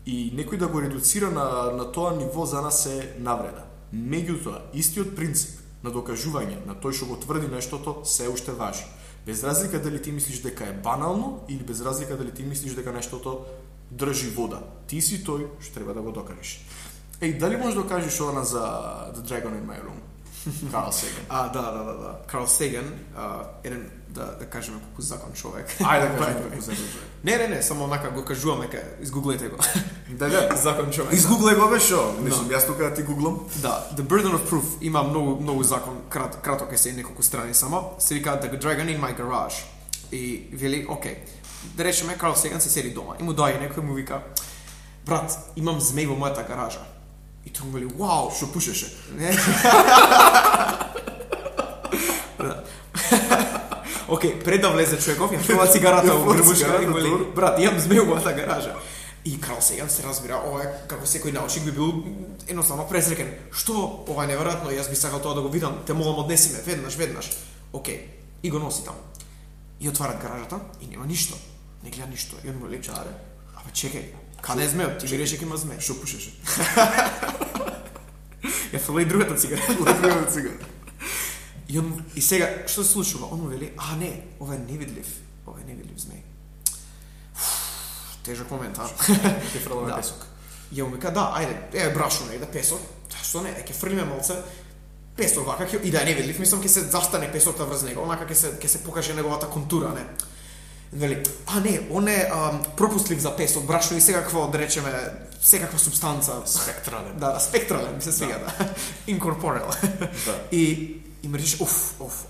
и некој да го редуцира на тоа ниво за нас е навреда. Меѓутоа, истиот принцип на докажување на тој што го тврди нештото се уште важи. Без разлика дали ти мислиш дека е банално или без разлика дали ти мислиш дека нештото држи вода. Ти си тој што треба да го докажеш. Дали можеш да кажеш ова за The Dragon in My Room? Карл Сеган. Да. Карл Сеган, еден, да кажеме колку закон човек. Ајде да кажеме колку закон човек. Не, само онака го кажуваме, изгуглајте го. Да. Закон човек. Изгуглај го бе шо? Мислам, јас тука да ти гуглам. Да, The Burden of Proof има многу закон, краток е се неколку страни само. Се вика The Dragon in My Garage. И вели, окей, да речеме Карл Сеган се седи дома. И му доаѓа некој му вика, брат, имам змеј во мојата гаража. И тој му вели, вау, што пушеше. Окей, пред да влезе човеков, ја фрла цигарата во грбушка и му вели, брат, имам змеј во мојата гаража. И Карл Сеган се разбира, ова е како секој научник би бил едноставно презрекен. Што, ова е неверојатно, јас би сакал тоа да го видам, те молам однеси ме, веднаш. Окей, и го носи таму. И отварат гаражата и нема ништо. Не гледа ништо. И он му вели, чаре, абе чекај, каде е змеот? Ти ми рече дека има змеј. Што пушеше? Ја фрла и другата цигара. И сега, што се случува? Он му вели, не, ова е невидлив змеј. Тежок момент, Ке фрламе песок. Ја му вика, ајде, брашно не, песок. Што не, ќе фрлиме малце песок вака, и да е невидлив, мислам ќе се застане песокта врз него, онака ќе се покаже неговата контура, не. Вели, не, он е пропустлив за песок, брашно и секакво, да речеме, секаква субстанца. Спектрален. Да, спектрален, ми се свига, да. Incorporeal. И ме речеш,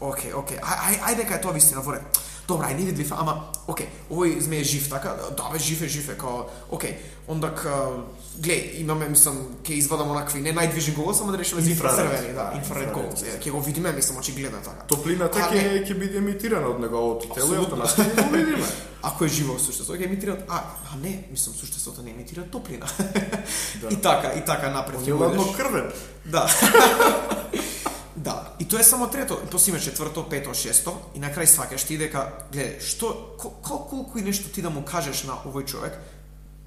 окей, ајде дека е тоа вистина во ред. Добра, е невидлив, ама, окей, овој змеј е жив, така? Да, бе, жив е, као, окей, ондак, глеј, имаме, мислам, ќе извадам онакви, не најдвижен голос, ама да решиме за инфрацрвени, инфраред голос, ќе го видиме, мислам, очигледно така. Топлината ќе биде емитирана од неговото тело и автоматски ќе го видиме. Ако е живо суштество, ќе емитира, не, мислам, суштеството не емитира топлина. И така напред. Он е ладно крвен. Да. Да, и тоа е само трето, после има четврто, пето, шесто, и на крај сваќаш ти дека, гледај, колку и нешто ти да му кажеш на овој човек,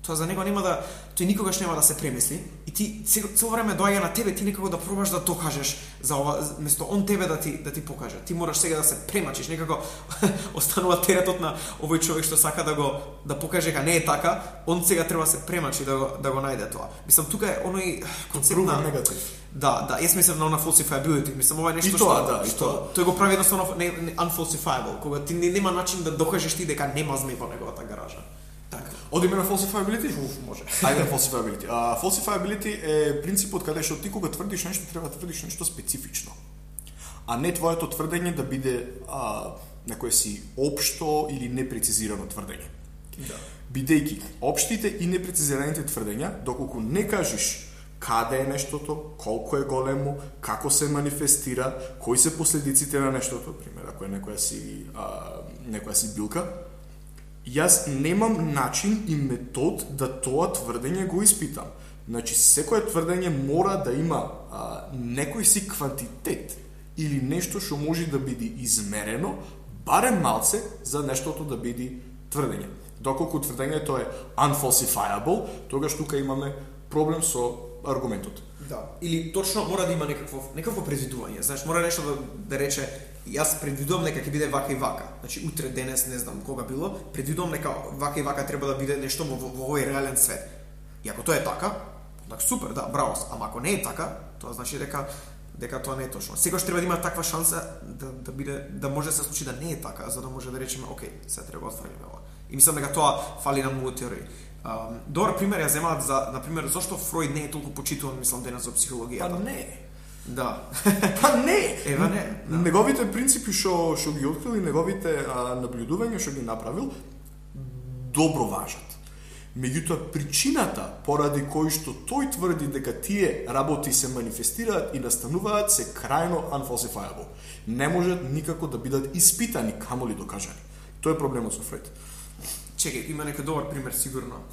тоа за него нема да, тој никогаш нема да се премисли, и ти цело време доаѓа на тебе, ти некако да пробаш да докажеш за ова, место он тебе да ти покаже. Ти мораш сега да се премачиш, некако останува теретот на овој човек што сака да покаже дека не е така, он сега треба да се премачи да го најде тоа. Мислам, тука е оној концепт на негатив. Да, јас мислам на falsifiability, мислам ова е нешто што тој го прави едноставно unfalsifiable, кога ти нема начин да докажеш ти дека нема змеј во неговата гаража. Така. Одиме на falsifiability? Може. Ајде на falsifiability. Falsifiability е принципот каде што ти кога тврдиш нешто треба да тврдиш нешто специфично. А не твоето тврдење да биде некое си општо или непрецизирано тврдење. Да. Бидејќи општите и непрецизираните тврдења, доколку не кажеш каде е нештото, колку е големо, како се манифестира, кои се последиците на нештото, пример, ако е некоја си билка, Јас немам начин и метод да тоа тврдење го испитам. Значи, секое тврдење мора да има некој си квантитет или нешто што може да биде измерено, барем малце за нештото да биде тврдење. Доколку тврдењето е unfalsifiable, тогаш тука имаме проблем со аргументот. Да. Или точно мора да има некакво предвидување. Знаеш, мора нешто да рече јас предвидувам дека ќе биде вака и вака. Значи утре, денес, не знам кога било, предвидувам дека вака и вака треба да биде нешто во овој реален свет. И ако тоа е така, так супер, да, браво. Ама ако не е така, тоа значи дека тоа не е точно. Секогаш треба да има таква шанса да може да се случи да не е така, за да може да речеме, окей, се треба да отфрлиме ова. И мислам дека тоа фали на многу теории. Добар пример ја земаат за, например, зошто Фройд не е толку почитуван, мислам, денес за психологијата. Па не. Да. Па не. Ева не. Да. Неговите принципи што ги открил и неговите наблюдувања што ги направил добро важат. Меѓутоа, причината поради кој што тој тврди дека тие работи се манифестираат и настануваат се крајно unfalsifiable. Не можат никако да бидат испитани, камоли докажани. Тоа е проблемот со Фройд. Чекај, има некој добар пример сигурно.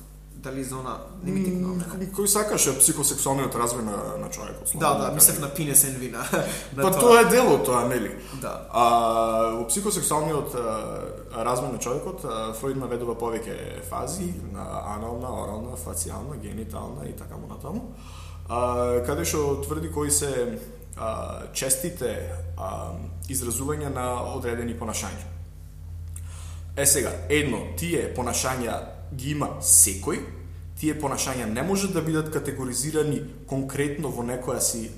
Дали за она не ми тикнува мене. Кој сакаше психосексуалниот развој на човекот. Да, мислев на пинес енвина. Па тоа е дело тоа, нели? Да. Во психосексуалниот развој на човекот, Фройд наведува повеќе фази, анална, орална, фацијална, генитална и така натаму. Каде што тврди кои се честите изразувања на одредени понашања. Сега, тие понашања ги има секој, тие понашања не можат да бидат категоризирани конкретно во некоја си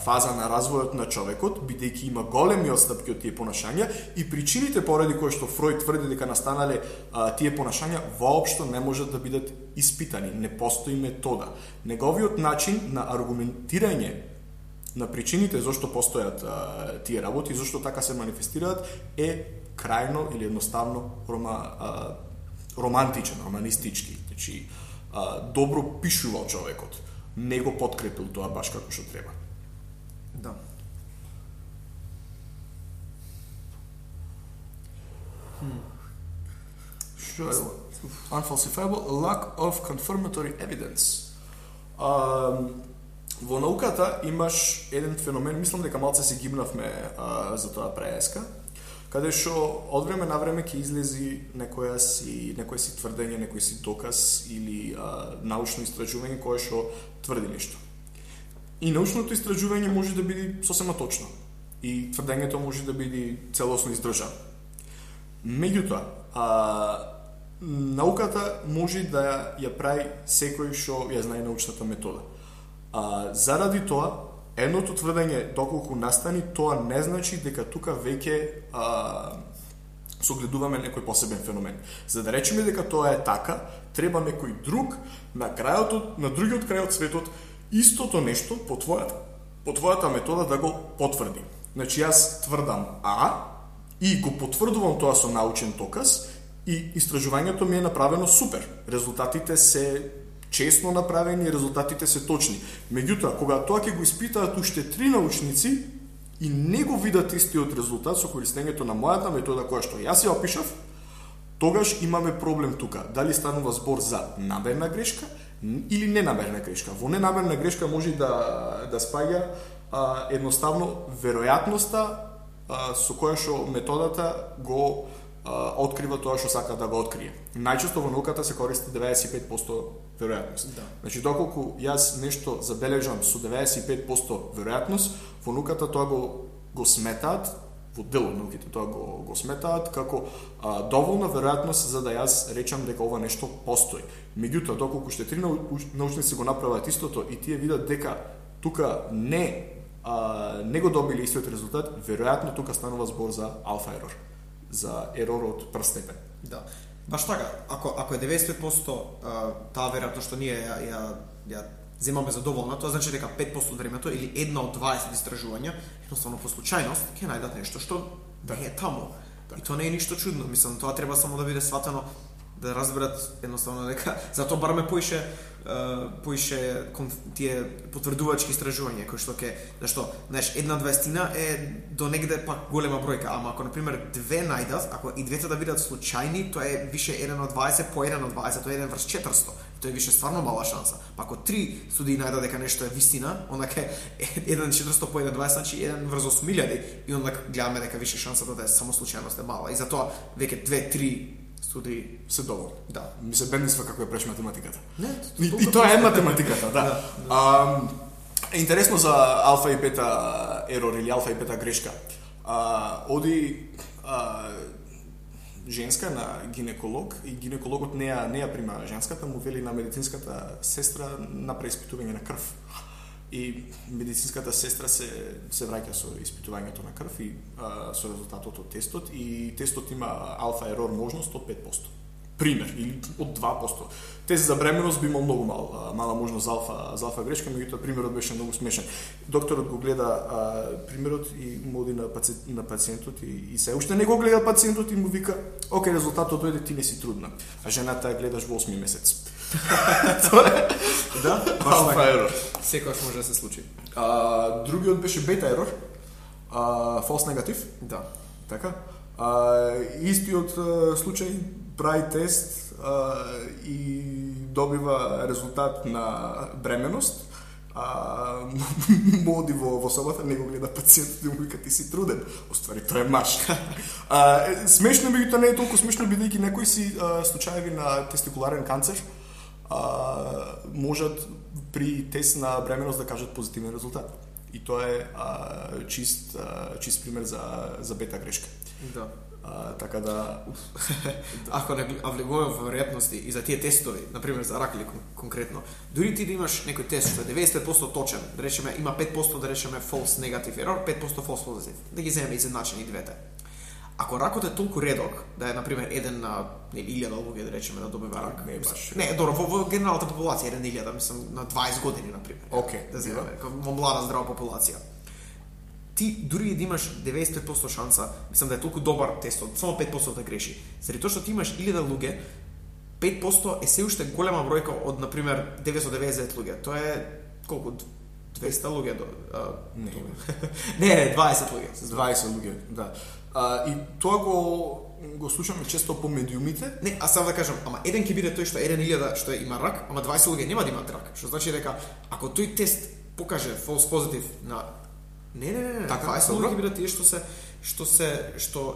фаза на развојот на човекот, бидејќи има големи отстапки од тие понашања и причините поради кои што Фройд тврди дека настанале тие понашања воопшто не можат да бидат испитани, не постои метода. Неговиот начин на аргументирање на причините зашто постојат тие работи и зашто така се манифестираат е крајно или едноставно романтичен, романистички. Значи, добро пишувал човекот. Не го подкрепил тоа баш како што треба. Да. Што е? Unfalsifiable lack of confirmatory evidence. Во науката имаш еден феномен, мислам дека малце се гибнавме за тоа преска, каде што од време на време ќе излези некој си тврдење, некој си доказ или научно истражување кое што тврди нешто. И научното истражување може да биде сосема точно и тврдењето може да биде целосно издржано. Меѓутоа, науката може да ја прави секој што ја знае научната метода. Заради тоа, едното тврдење доколку настани, тоа не значи дека тука веќе согледуваме некој посебен феномен. За да речеме дека тоа е така, треба некој друг на другиот крај од светот истото нешто по твојата метода да го потврди. Значи јас тврдам и го потврдувам тоа со научен доказ и истражувањето ми е направено супер. Резултатите се честно направени, резултатите се точни. Меѓутоа, кога тоа ќе го испитаат уште 3 научници и не го видат истиот резултат со користењето на мојата метода која што јас ја опишав, тогаш имаме проблем тука. Дали станува збор за намерна грешка или ненамерна грешка. Во ненамерна грешка може да спаѓа едноставно веројатноста со која што методата го открива тоа што сака да го открие. Најчесто во науката се користи 95% веројатност. Да. Значи, доколку јас нешто забележам со 95% веројатност, во науката тоа го сметаат, во дел од науките тоа го сметаат како доволна веројатност за да јас речам дека ова нешто постои. Меѓутоа, доколку ще 3 научници го направат истото и тие видат дека тука не го добили истиот резултат, веројатно тука станува збор за алфа ерор, за ерор од прв степен. Да. Баш така, ако е 95% таа веројатно што ние ја земаме за доволна, тоа значи дека 5% од времето или една од 20 истражувања, едноставно по случајност ќе најдат нешто што не е таму. И тоа не е ништо чудно, мислам, тоа треба само да биде сватено, да разберат едноставно дека затоа бараме поише поише тие потврдувачки истражувања кои што зашто, знаеш, 1/20 е до негде пак голема бројка, ама ако на пример две најдат, ако и двете да бидат случајни, тоа е више 1/20 по 1/20, тоа е 1/400. Тоа е више стварно мала шанса. Па ако 3 студии најдат дека нешто е вистина, онака 1/400 по 1/20, значи 1/8.000 и онака гледаме дека више шансата да е само случајност е мала. И затоа веќе 2-3 студии се доволни. Да. Ми се бендисва како ја преш математиката. Не, и тоа е математиката, да. Интересно за алфа и бета ерор или алфа и бета грешка. Оди женска на гинеколог и гинекологот не ја прима женската, му вели на медицинската сестра направи испитување на крв. И медицинската сестра се враќа со испитувањето на крв и со резултатот од тестот, и тестот има алфа ерор можност од 5%. Пример, или од 2%. Тест за бременост би имал многу мала можност за алфа грешка, меѓутоа примерот беше многу смешен. Докторот го гледа примерот и му оди на пациентот и се уште не го гледа пациентот и му вика: "Океј, резултатот дојде, ти не си трудна." А жената ја гледаш во 8 месец. Тоа е. Да, алфа ерор. Секогаш може да се случи. Другиот беше бета ерор. False негатив. Да. Така. Истиот случај, прави тест и добива резултат на бременост. Моди во собата, не го гледа пациентот и му вика: "Ти си труден." Оствари тоа е маш. Смешно, меѓутоа не е толку смешно, бидејќи некои си случаеви на тестикуларен канцер можат при тест на бременост да кажат позитивен резултат. И тоа е чист пример за бета грешка. Да. Така да ако не влегуваме во веројатности и за тие тестови, на пример за рак или конкретно, дури ти да имаш некој тест што е 95% точен, да речеме има 5% да речеме false negative error, 5% false positive, да ги земеме изедначени двете. Ако ракот е толку редок, да е на пример 1 на 1000 луѓе да речеме да добива рак. Не баш. Не, добро, во генералната популација 1 на 1000, мислам на 20 години на пример. Океј, да земеме во млада здрава популација. Ти дури да имаш 95% шанса, мислам да е толку добар тестот, само 5% да греши. Заради тоа што ти имаш 1000 луѓе, 5% е се уште голема бројка од на пример 999 луѓе. Тоа е колку 200 луѓе до не, 20 луѓе. 20 луѓе, да. И тоа го слушаме често по медиумите. Не, а само да кажам, ама еден ќе биде тој што 1000 што има рак, ама 20 луѓе нема да имаат рак. Што значи дека ако тој тест покаже false positive на Не, така 20 луѓе ќе бидат тие што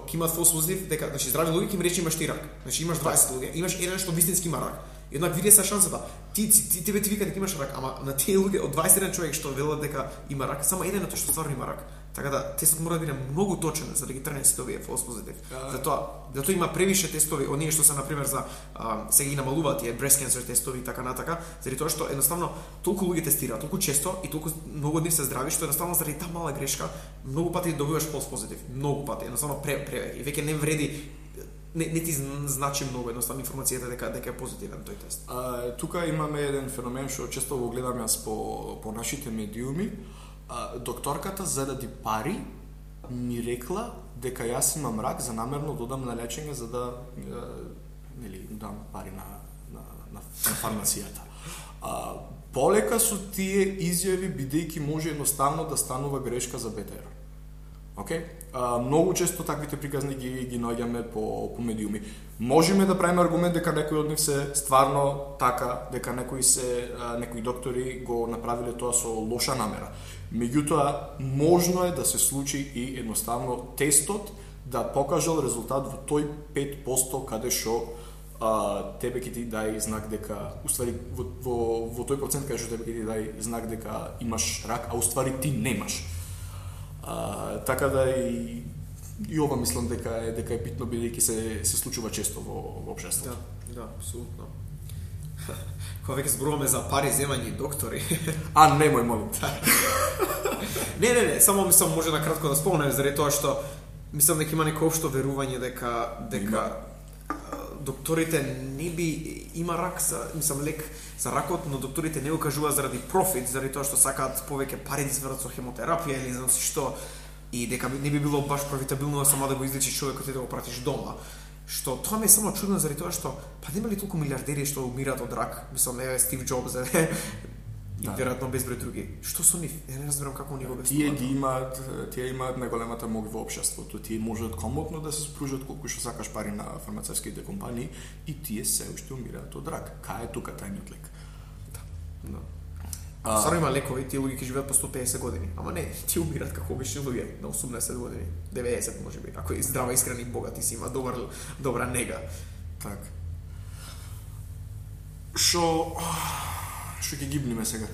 ќе имаат false positive, дека значи здрави луѓе ќе им рече имаш ти рак. Значи имаш 20 луѓе, имаш еден што вистински има рак. Еднак види се шансата. Тебе ти вика дека имаш рак, ама на тие луѓе од 21 човек што велат дека има рак, само еден е тој што стварно има рак. Така да тестот мора да биде многу точен за да ги тргне сите овие false positive. Затоа има превише тестови, оние што се на пример за сега ги намалуваат тие breast cancer тестови и така натака, заради тоа што едноставно толку луѓе тестираат, толку често и толку многу од нив се здрави, што едноставно заради таа мала грешка многу пати добиваш false positive, многу пати, едноставно превеќе. И веќе не вреди, не ти значи многу едноставно информацијата дека е позитивен тој тест. Тука имаме еден феномен што често го гледам јас по нашите медиуми. Докторката за да ди пари ми рекла дека јас имам рак, за намерно додам на лечење за да дам пари на фармацијата. Полека со тие изјави, бидејќи може едноставно да станува грешка за бета ерор. Океј? Многу често таквите приказни ги наоѓаме по медиуми. Можеме да правиме аргумент дека некои од нив се стварно така, дека некои доктори го направиле тоа со лоша намера. Меѓутоа, можно е да се случи и едноставно тестот да покажал резултат во тој 5% каде што тебе ќе ти дај знак дека, уствари во тој процент каде што тебе ќе ти дај знак дека имаш рак, а уствари ти немаш. Така да и ова мислам дека е битно, бидејќи се случува често во општеството. Да, апсолутно. Кога веќе зборуваме за пари, земање и доктори. Немој, молим. Не, само мислам може на кратко да спомнем заради тоа што мислам дека има некој општо верување дека докторите не би има рак лек за ракот, но докторите не го кажуваат заради профит, заради тоа што сакаат повеќе пари да извадат со хемотерапија или знам што, и дека не би било баш профитабилно само да го излечиш човекот и да го пратиш дома. Што тоа ми е само чудно заради тоа што па нема ли толку милиардери што умираат од рак, мислам Стив Џобс и веројатно безброј други. Што со нив? Ја не разбирам како они го обяснуваат. Тие имаат најголемата моќ во општеството. Тие можат комотно да се спружат колку што сакаш пари на фармацевтските компании и тие се уште умираат од рак. Кај е тука тајниот лек? Да. Саро има лекови, тие луѓе ќе живеат по 150 години, ама не, тие умираат како обични луѓе на 80 години, 90 можеби, ако е здрава, искрен и богат и си има добра нега. Так. Шо ќе гибниме сега?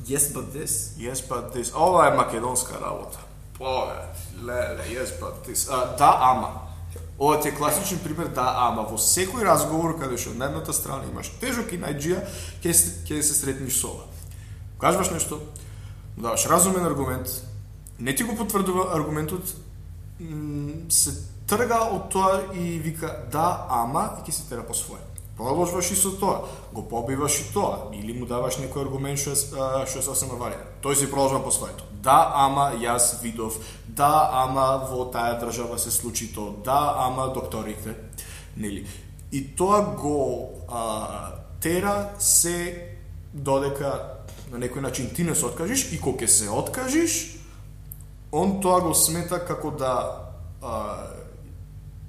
Yes but this. Yes but this. Ова е македонска работа. Леле, yes but this. Да, ама. Ова ти е класичен пример, да, ама во секој разговор каде што на едната страна имаш тежок и најџија, ќе се сретниш со ова. Кажуваш нешто, даваш разумен аргумент, не ти го потврдува аргументот, се трга од тоа и вика да, ама, и ќе се тера по своje. Продолжуваш и со тоа, го побиваш и тоа, или му даваш некој аргумент што е сосема валиден. Тој си продолжува по своето. Да, ама јас видов, да, ама во таа држава се случи тоа, да, ама докторите, нели? И тоа го тера се додека на некој начин ти не се откажиш и кога ќе се откажиш, он тоа го смета како да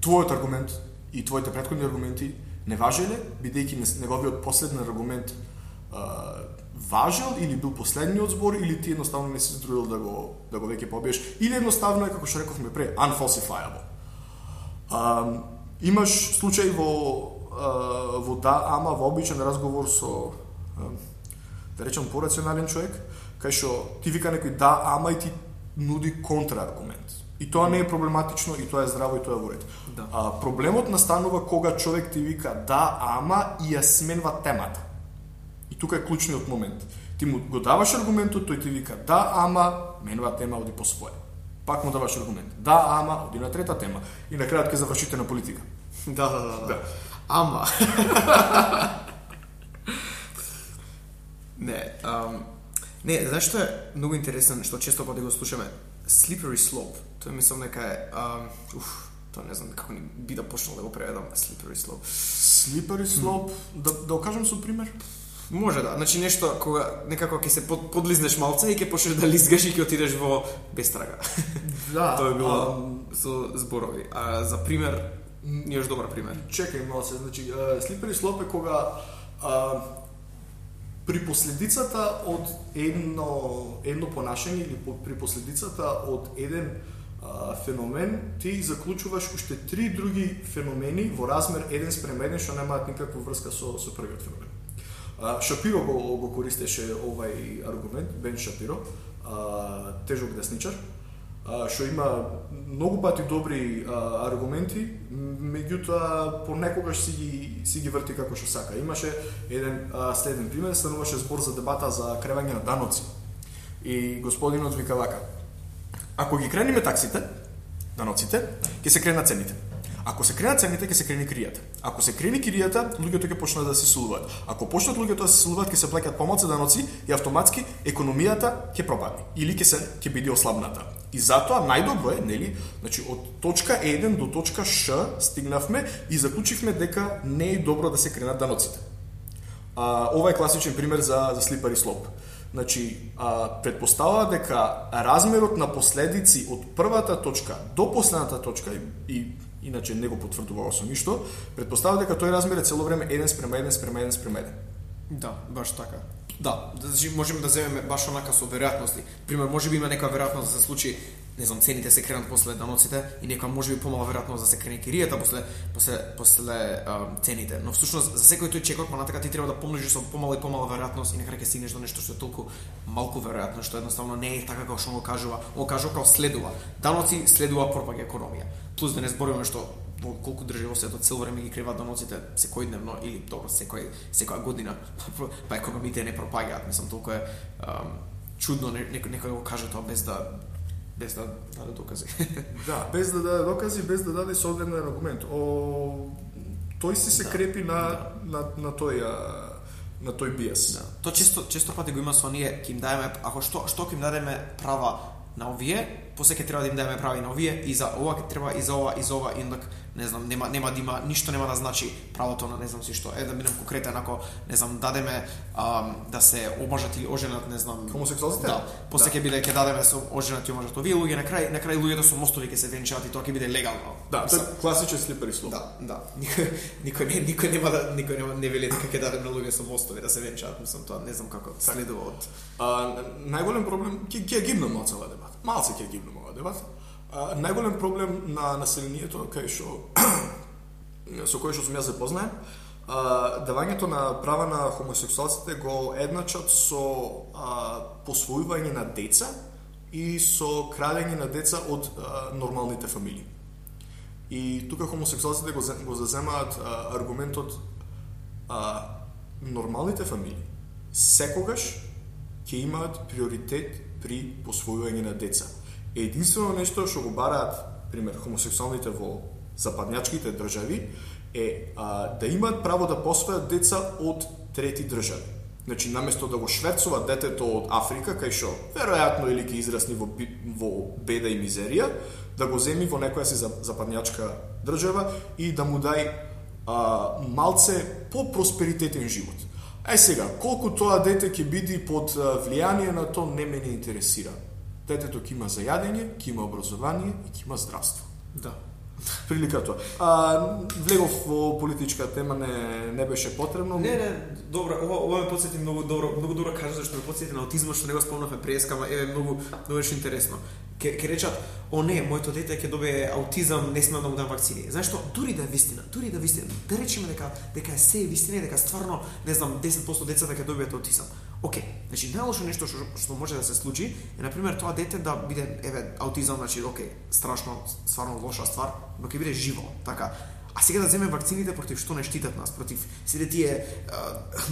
твојот аргумент и твоите претходни аргументи не важеле, бидејќи неговиот последен аргумент важел или бил последниот збор, или ти едноставно не си здрудил да го веќе побиеш, или едноставно е, како што рековме пре, unfalsifiable. Имаш случај во да, ама во обичен разговор со да речем порационален човек, кај што ти вика некој да, ама и ти нуди контрааргумент. И тоа не е проблематично, и тоа е здраво, и тоа е во ред. Да. Проблемот настанува кога човек ти вика да, ама и ја сменва темата. И тука е клучниот момент. Ти му го даваш аргументот, тој ти вика да, ама, менува тема, оди по своje. Пак му даваш аргумент. Да, ама, оди на трета тема. И на крајот ќе завршите на политика. Да. Ама. Не, знаеш што е многу интересен, што често пати го слушаме? Slippery slope. Тоа мислам дека е тоа не знам како ни би да почнал да го преведам slippery slope. Slippery slope, да окажам со пример? Може да, значи нешто кога некако ќе се подлизнеш малце и ќе почнеш да лизгаш и ќе отидеш во бестрага. Да. Тоа е било со зборови. За пример, имаш добар пример. Чекај малце, значи slippery slope е кога при последицата од едно понашање или при последицата од еден феномен, ти заклучуваш уште 3 други феномени во размер 1:1 што немаат никаква врска со првиот феномен. Шапиро го користеше овај аргумент, Бен Шапиро, тежок десничар, што има многу пати добри аргументи, меѓутоа понекогаш си ги врти како што сака. Имаше еден следен пример, стануваше збор за дебата за кревање на даноци. И господинот вика вака: ако ги крениме таксите, даноците, ќе се кренат цените. Ако се кренат цените, ќе се крени киријата. Ако се крени киријата, луѓето ќе почнат да се силуваат. Ако почнат луѓето да се силуваат, ќе се плаќаат помалку даноци и автоматски економијата ќе пропадне или ќе биде ослабната. И затоа најдобро е, нели, значи од точка 1 до точка Ш стигнавме и заклучивме дека не е добро да се кренат даноците. Ова е класичен пример за slippery slope. Значи, предпоставува дека размерот на последици од првата точка до последната точка и иначе не го потврдува со ништо, предпоставува дека тој размер е цело време 1:1:1:1:1. Да, баш така. Да, значи можеме да земеме баш онака со веројатности. Пример, можеби има некоја веројатност да се случи, не знам, цените се кренат после даноците и некоја можеби помала веројатност да се крене киријата после цените. Но всушност за секој тој чекор понатака ти треба да помножиш со помала и помала веројатност и на крај ќе стигнеш до нешто што е толку малку веројатно, што едноставно не е така како што го кажува. Он кажува како следува. Даноци следува пропаѓа економија. Плюс да не збориме што колку држави во светот цело време ги креваат даноците секојдневно или добро секоја година, па економиите не пропаѓаат. Мислам, толку е чудно некој го каже тоа без да даде докази. Да, без да даде докази, без да даде соодветен аргумент. Тој се крепи на тој биес. Да. Тоа често пати го има со ние, ќе им даеме, ако што ќе им дадеме права на овие, после ќе треба да им дадеме прави на овие и за ова ќе треба и за ова и за ова, и ондак не знам, нема да има ништо нема да значи правото на не знам си што. Да минам конкретно ако не знам дадеме да се омажат или оженат, не знам, хомосексуалците. Да, после ќе биде ќе дадеме со оженат и омажат. Овие луѓе на крај луѓето со мостови ќе се венчаат и тоа ќе биде легално. Да, тоа е класичен слипери слов. Да. Никој нема не вели дека ќе дадеме на луѓе со мостови да се венчаат, мислам тоа не знам како следува од. Најголем проблем ќе гибне малце оваа дебата. Малце ќе гибне оваа дебата. Најголем проблем на населението кај што со кој што сум јас запознаен, давањето на права на хомосексуалците го едначат со посвојување на деца и со крадење на деца од нормалните фамилии. И тука хомосексуалците го заземаат аргументот нормалните фамилии секогаш ќе имаат приоритет при посвојување на деца. Единствено нешто што го бараат, пример, хомосексуалните во западњачките држави е да имаат право да посвојат деца од трети држави. Значи, наместо да го шверцуваат детето од Африка, кај што веројатно или ќе израсни во беда и мизерија, да го земи во некоја си западњачка држава и да му дај малце по-просперитетен живот. Сега, колку тоа дете ќе биде под влијание на тоа не ме не интересира. Детето ќе има зајадење, ќе има образование и ќе има здравство. Да. Прилика тоа. Влегов во политичка тема, не беше потребно. Не, добро, ова ме потсети многу добро кажа, зашто ме потсети на аутизмот, што не го спомнавме преска, ама многу беше интересно. Ке речат, не, моето дете ќе добие аутизам, не смеам да му дам вакцини. Знаеш што, дури да е вистина, да речеме дека е се вистина и дека стварно, не знам, 10% децата ќе добијат аутизам. Океј, значи најлошо нешто што може да се случи е на пример тоа дете да биде аутизам, значи страшно, стварно лоша ствар, но ќе биде живо, така. А сега да земе вакцините против што не штитат нас, против сите тие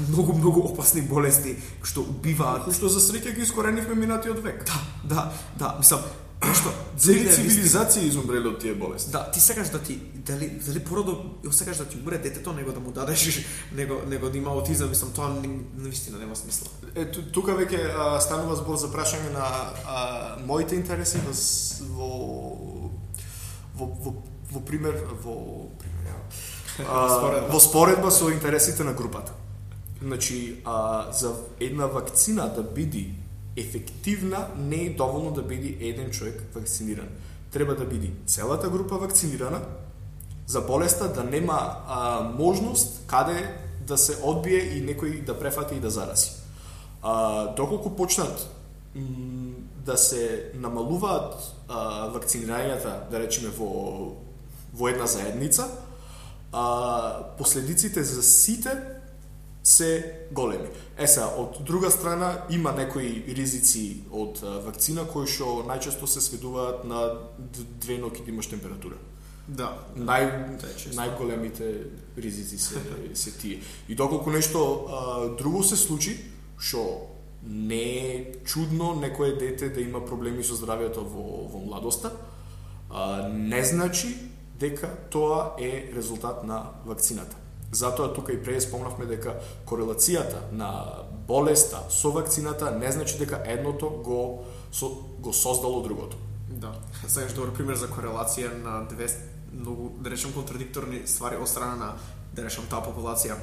многу опасни болести што убиваат, што за среќа ги искоренивме минатиот век. Да, мислам, нешто цели цивилизација изумреле од тие болести. Да, ти сакаш да ти дали породо сакаш да ти умре детето, него да му дадеш него да има аутизам, мислам тоа навистина нема смисла. Тука веќе станува збор за прашање на моите интереси во пример во споредба со интересите на групата. Значи, за една вакцина да биде ефективна, не е доволно да биде еден човек вакциниран. Треба да биде целата група вакцинирана, за болеста да нема можност каде да се одбие и некој да префати и да зарази. Доколку почнат да се намалуваат вакцинирањата, да речеме во една заедница, последиците за сите се големи. Од друга страна има некои ризици од вакцина кои што најчесто се сведуваат на 2 ноќи да имаш температура. Да. Најголемите ризици се тие. И доколку нешто друго се случи, што не е чудно некое дете да има проблеми со здравјето во младоста, не значи дека тоа е резултат на вакцината. Затоа тука и прее спомнавме дека корелацијата на болеста со вакцината не значи дека едното го создало другото. Да. Сакаш добар пример за корелација на две многу, да речем, контрадикторни ствари од страна на, да речем, таа популација.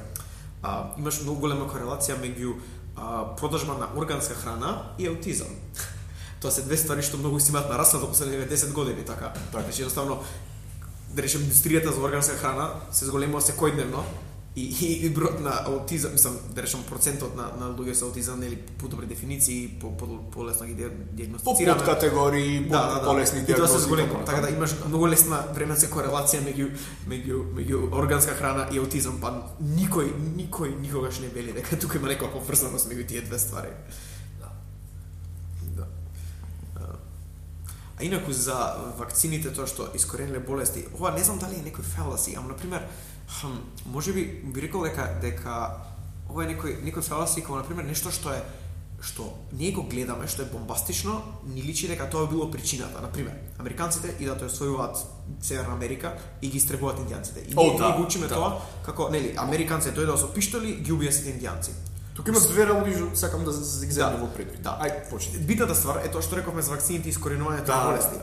Имаш многу голема корелација меѓу продажба на органска храна и аутизам. Тоа се две ствари што многу си имаат нараснато во последните 10 години, така. Значи едноставно, да речем, индустријата за органска храна се зголемува секојдневно и бројот на аутизам, мислам, да речем, процентот на луѓе со аутизам, нели, по добри дефиниции, по лесно ги диагностицираме. По подкатегории, по лесни диагнози. И тоа се зголемува, така да имаш многу лесна временска корелација меѓу органска храна и аутизам, па никој никогаш не вели дека тука има некоја поврзаност меѓу тие две ствари. А инаку за вакцините, тоа што искорениле болести, ова не знам дали е некој феласи, ама на пример, можеби би рекол дека ова е некој феласи, како на пример нешто што ние го гледаме, што е бомбастично, ни личи дека тоа било причината. На пример, американците идат да освојуваат Северна Америка и ги истребуваат индијанците. И ние го учиме тоа како, нели, американците дојдоа со пиштоли, ги убија сите индијанци. Тука има две работи што сакам да ги земам во предвид. Да. Ај, почни. Битната ствар е тоа што рековме за вакцините и искоренувањето на болести.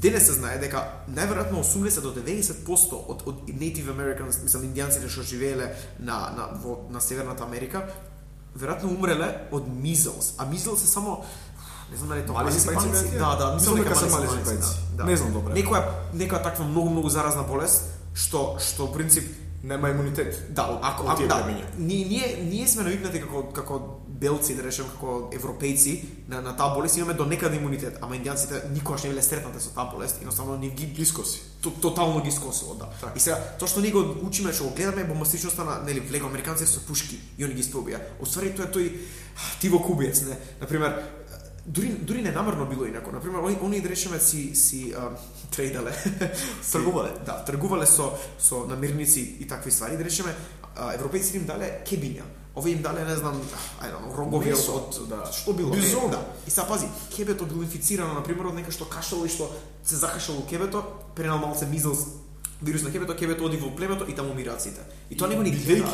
Денес се знае дека најверојатно 80 до 90% од Native Americans, мислам индијанците што живееле на Северната Америка, веројатно умреле од measles. А measles е само не знам дали тоа мали сипаници. Да, мислам дека се мали сипаници. Да. Не знам добре. Некоја таква многу заразна болест што в принцип нема имунитет. Да, ако ние сме навикнати како белци, да речем, како европејци на таа болест имаме до некаде имунитет, ама индијанците никогаш не биле стретнати со таа болест, едноставно ни ги скоси. Тотално ги скосило, да. Так. И сега тоа што ние го учиме, што го гледаме бомбастичноста на нели влего американците со пушки и они ги спробија. Оствари тоа е тој Тиво Кубиец, не. На пример, дури ненамерно било инако. На пример, они да речеме си трейдале, тргувале. Да, тргувале со намирници и такви ствари. Да речеме, европејците им дале кебиња. Овие им дале, не знам, рогови од што било. Бизон. Да. И сега пази, кебето било инфицирано на пример од нека што кашало и што се закашало кебето, пренал малце мизлс вирус на кебето оди во племето и таму умираат сите. И тоа него ни гледаат.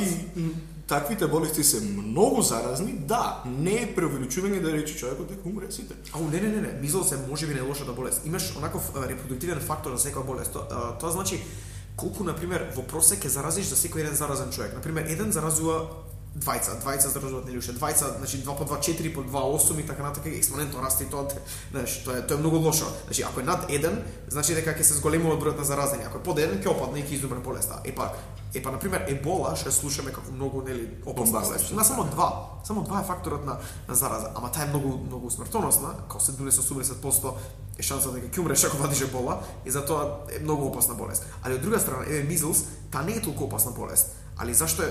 Таквите болести се многу заразни, да, не е преувеличување да рече човекот дека умре сите. Не, мизлс е можеби најлошата болест. Имаш онаков репродуктивен фактор за секоја болест. Тоа значи колку на пример во просек ќе заразиш за секој еден заразен човек. На пример, еден заразува двајца заразуваат нели уште двајца, значи 2 по 2 4 по 2 8 и така натака експонентно расте и тоа, знаеш, тоа е многу лошо. Значи ако е над 1, значи дека ќе се зголемува бројот на заразени. Ако е под 1, ќе опадне и ќе изумре болеста. Епа на пример Ебола, што слушаме како многу нели опасна болест. Има само два е факторот на зараза, ама таа е многу смртоносна, како 70-80% е шансата дека ќе умреш ако вадиш Ебола и затоа е многу опасна болест. Али од друга страна, мизлс, таа не е толку опасна болест. Али зашто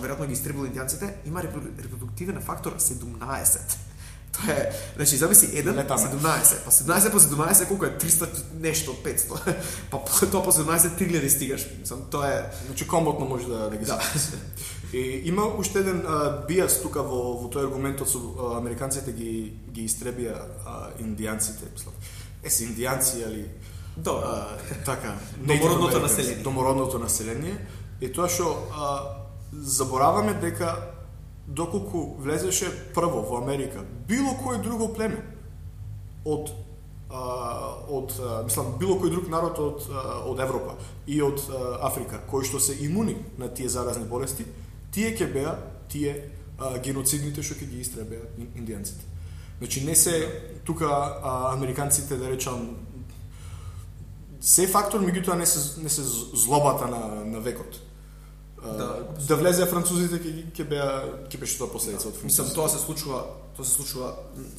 веројатно ги истребило индијанците, има репродуктивен фактор 17. Тоа е, значи зависи 1 17, па 17 по 17 колку е 300 нешто 500. Па тоа по 17 3000 стигаш. Мислам, тоа е, значи комботно може да ги се. И има уште еден биас тука во тој аргументот со американците ги истребија индијанците, мислам. Се индијанци али така, домородното население. Е тоа што забораваме дека доколку влезеше прво во Америка било кој друго племе мислам било кој друг народ од Европа и од Африка кои што се имуни на тие заразни болести, тие ќе беа геноцидните што ќе ги истребеа индијанците. Значи не се тука американците да речам се фактор, меѓутоа не се злобата на векот. Да влезе французите ќе беше тоа последица од французите. Мислам, тоа се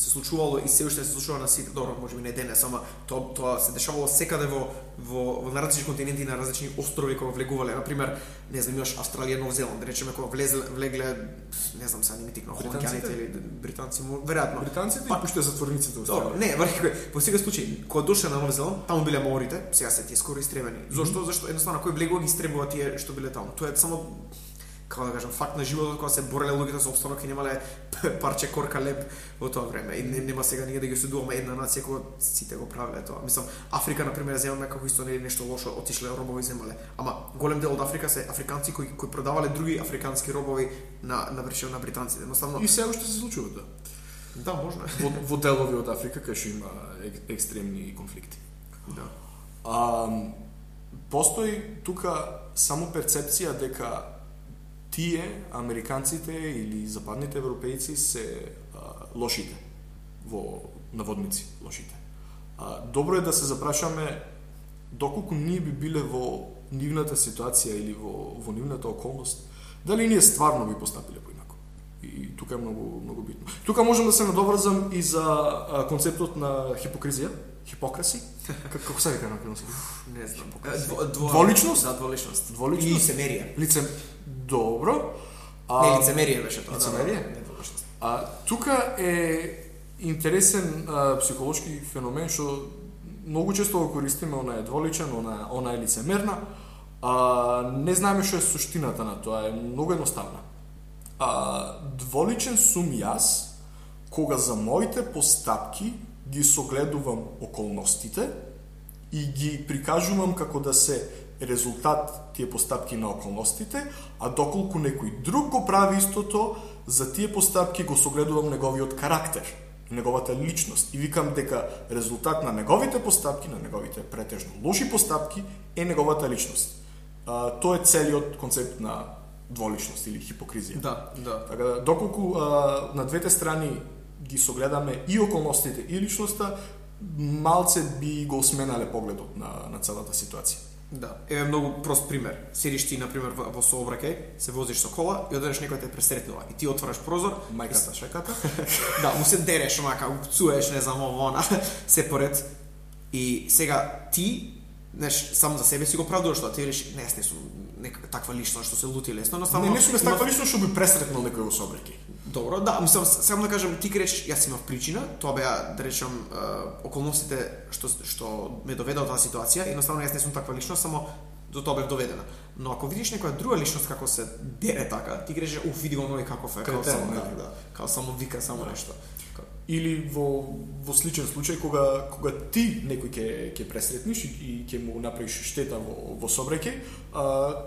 случувало и се уште се случува на сите, добро, можеби не денес, ама тоа се дешавало секаде во на различни континенти, на различни острови кога влегувале. На пример, не знам, имаш Австралија, Нов Зеланд, да речеме кога влегле, не знам сега не ми тикна, холандјаните или британци, веројатно. Британците и пуште затворниците во Австралија. Добро, не, во сега случај, кога дошле на Нов Зеланд, таму биле маорите, сега се тие скоро истребени. Зошто? Зашто едноставно кој влегува ги истребува тие што биле таму. Тоа е само како да кажам, факт на животот кога се бореле луѓето за опстанок и немале парче корка леб во тоа време. И нема сега ние да ги осудуваме една нација кога сите го правеле тоа. Мислам, Африка на пример земаме како исто не е нешто лошо, отишле робови земале. Ама голем дел од Африка се африканци кои продавале други африкански робови на британците. Едноставно и се уште се случува тоа. Да, можно. Во делови од Африка кај што има екстремни конфликти. Да. Постои тука само перцепција дека тие, американците или западните европејци се лошите, во наводници лошите. Добро е да се запрашаме доколку ние би биле во нивната ситуација или во нивната околност, дали ние стварно би постапиле поинако. И тука е многу битно. Тука можам да се надоврзам и за концептот на хипокризија, хипокраси. Како се вика на француски? Не знам. Дволичност? Да, дволичност. И лицемерие. Добро. Не, лицемерие беше тоа. Лицемерие? Тука е интересен психолошки феномен што многу често го користиме, она е дволичен, она е лицемерна. Не знаеме што е суштината на тоа, е многу едноставна. Дволичен сум јас кога за моите постапки ги согледувам околностите и ги прикажувам како да се резултат тие постапки на околностите, а доколку некој друг го прави истото, за тие постапки го согледувам неговиот карактер, неговата личност и викам дека резултат на неговите постапки, на неговите претежно лоши постапки е неговата личност. Тоа е целиот концепт на дволичност или хипокризија. Да. Така да, доколку на двете страни ги согледаме и околностите и личноста, малце би го сменале погледот на целата ситуација. Да, еве многу прост пример. Седиш ти на пример во сообраќај, се возиш со кола и одеднаш некој те пресретнува и ти отвараш прозор, Мајката шеката. да, му се дереш, онака, упцуеш, не знам, она, се поред. И сега ти, сам за себе си го правдуваш тоа, ти велиш, не, јас не сум некаква таква личност што се лути лесно, но Не сум таква личност што би пресретнал некој во сообраќај. Добро, да, мислам, само да кажем, ти речеш, јас имав причина, тоа беа, да речем, околностите што ме доведа до таа ситуација, едноставно јас не сум таква личност, само до тоа бев доведена. Но ако видиш некоја друга личност како се дере така, ти речеш, види го нови каков е, као само, као само вика, само нешто. Или во сличен случај кога ти некој ќе пресретниш и ќе му направиш штета во сообраќај,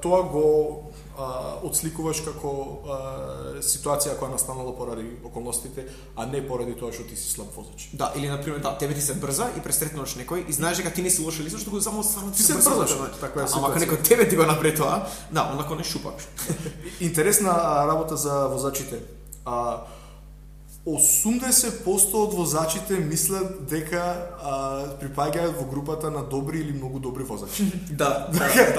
тоа го отсликуваш како ситуација која настанала поради околностите, а не поради тоа што ти си слаб возач. Да, или на пример, да, тебе ти се брза и пресретнуваш некој и знаеш дека ти не си лоша личност, што само ти се брзаш. Таква е ситуација. Ама ако некој тебе ти го направи тоа, да, онако не шупаш. Интересна работа за возачите. 80% од возачите мислат дека припаѓаат во групата на добри или многу добри возачи. Да.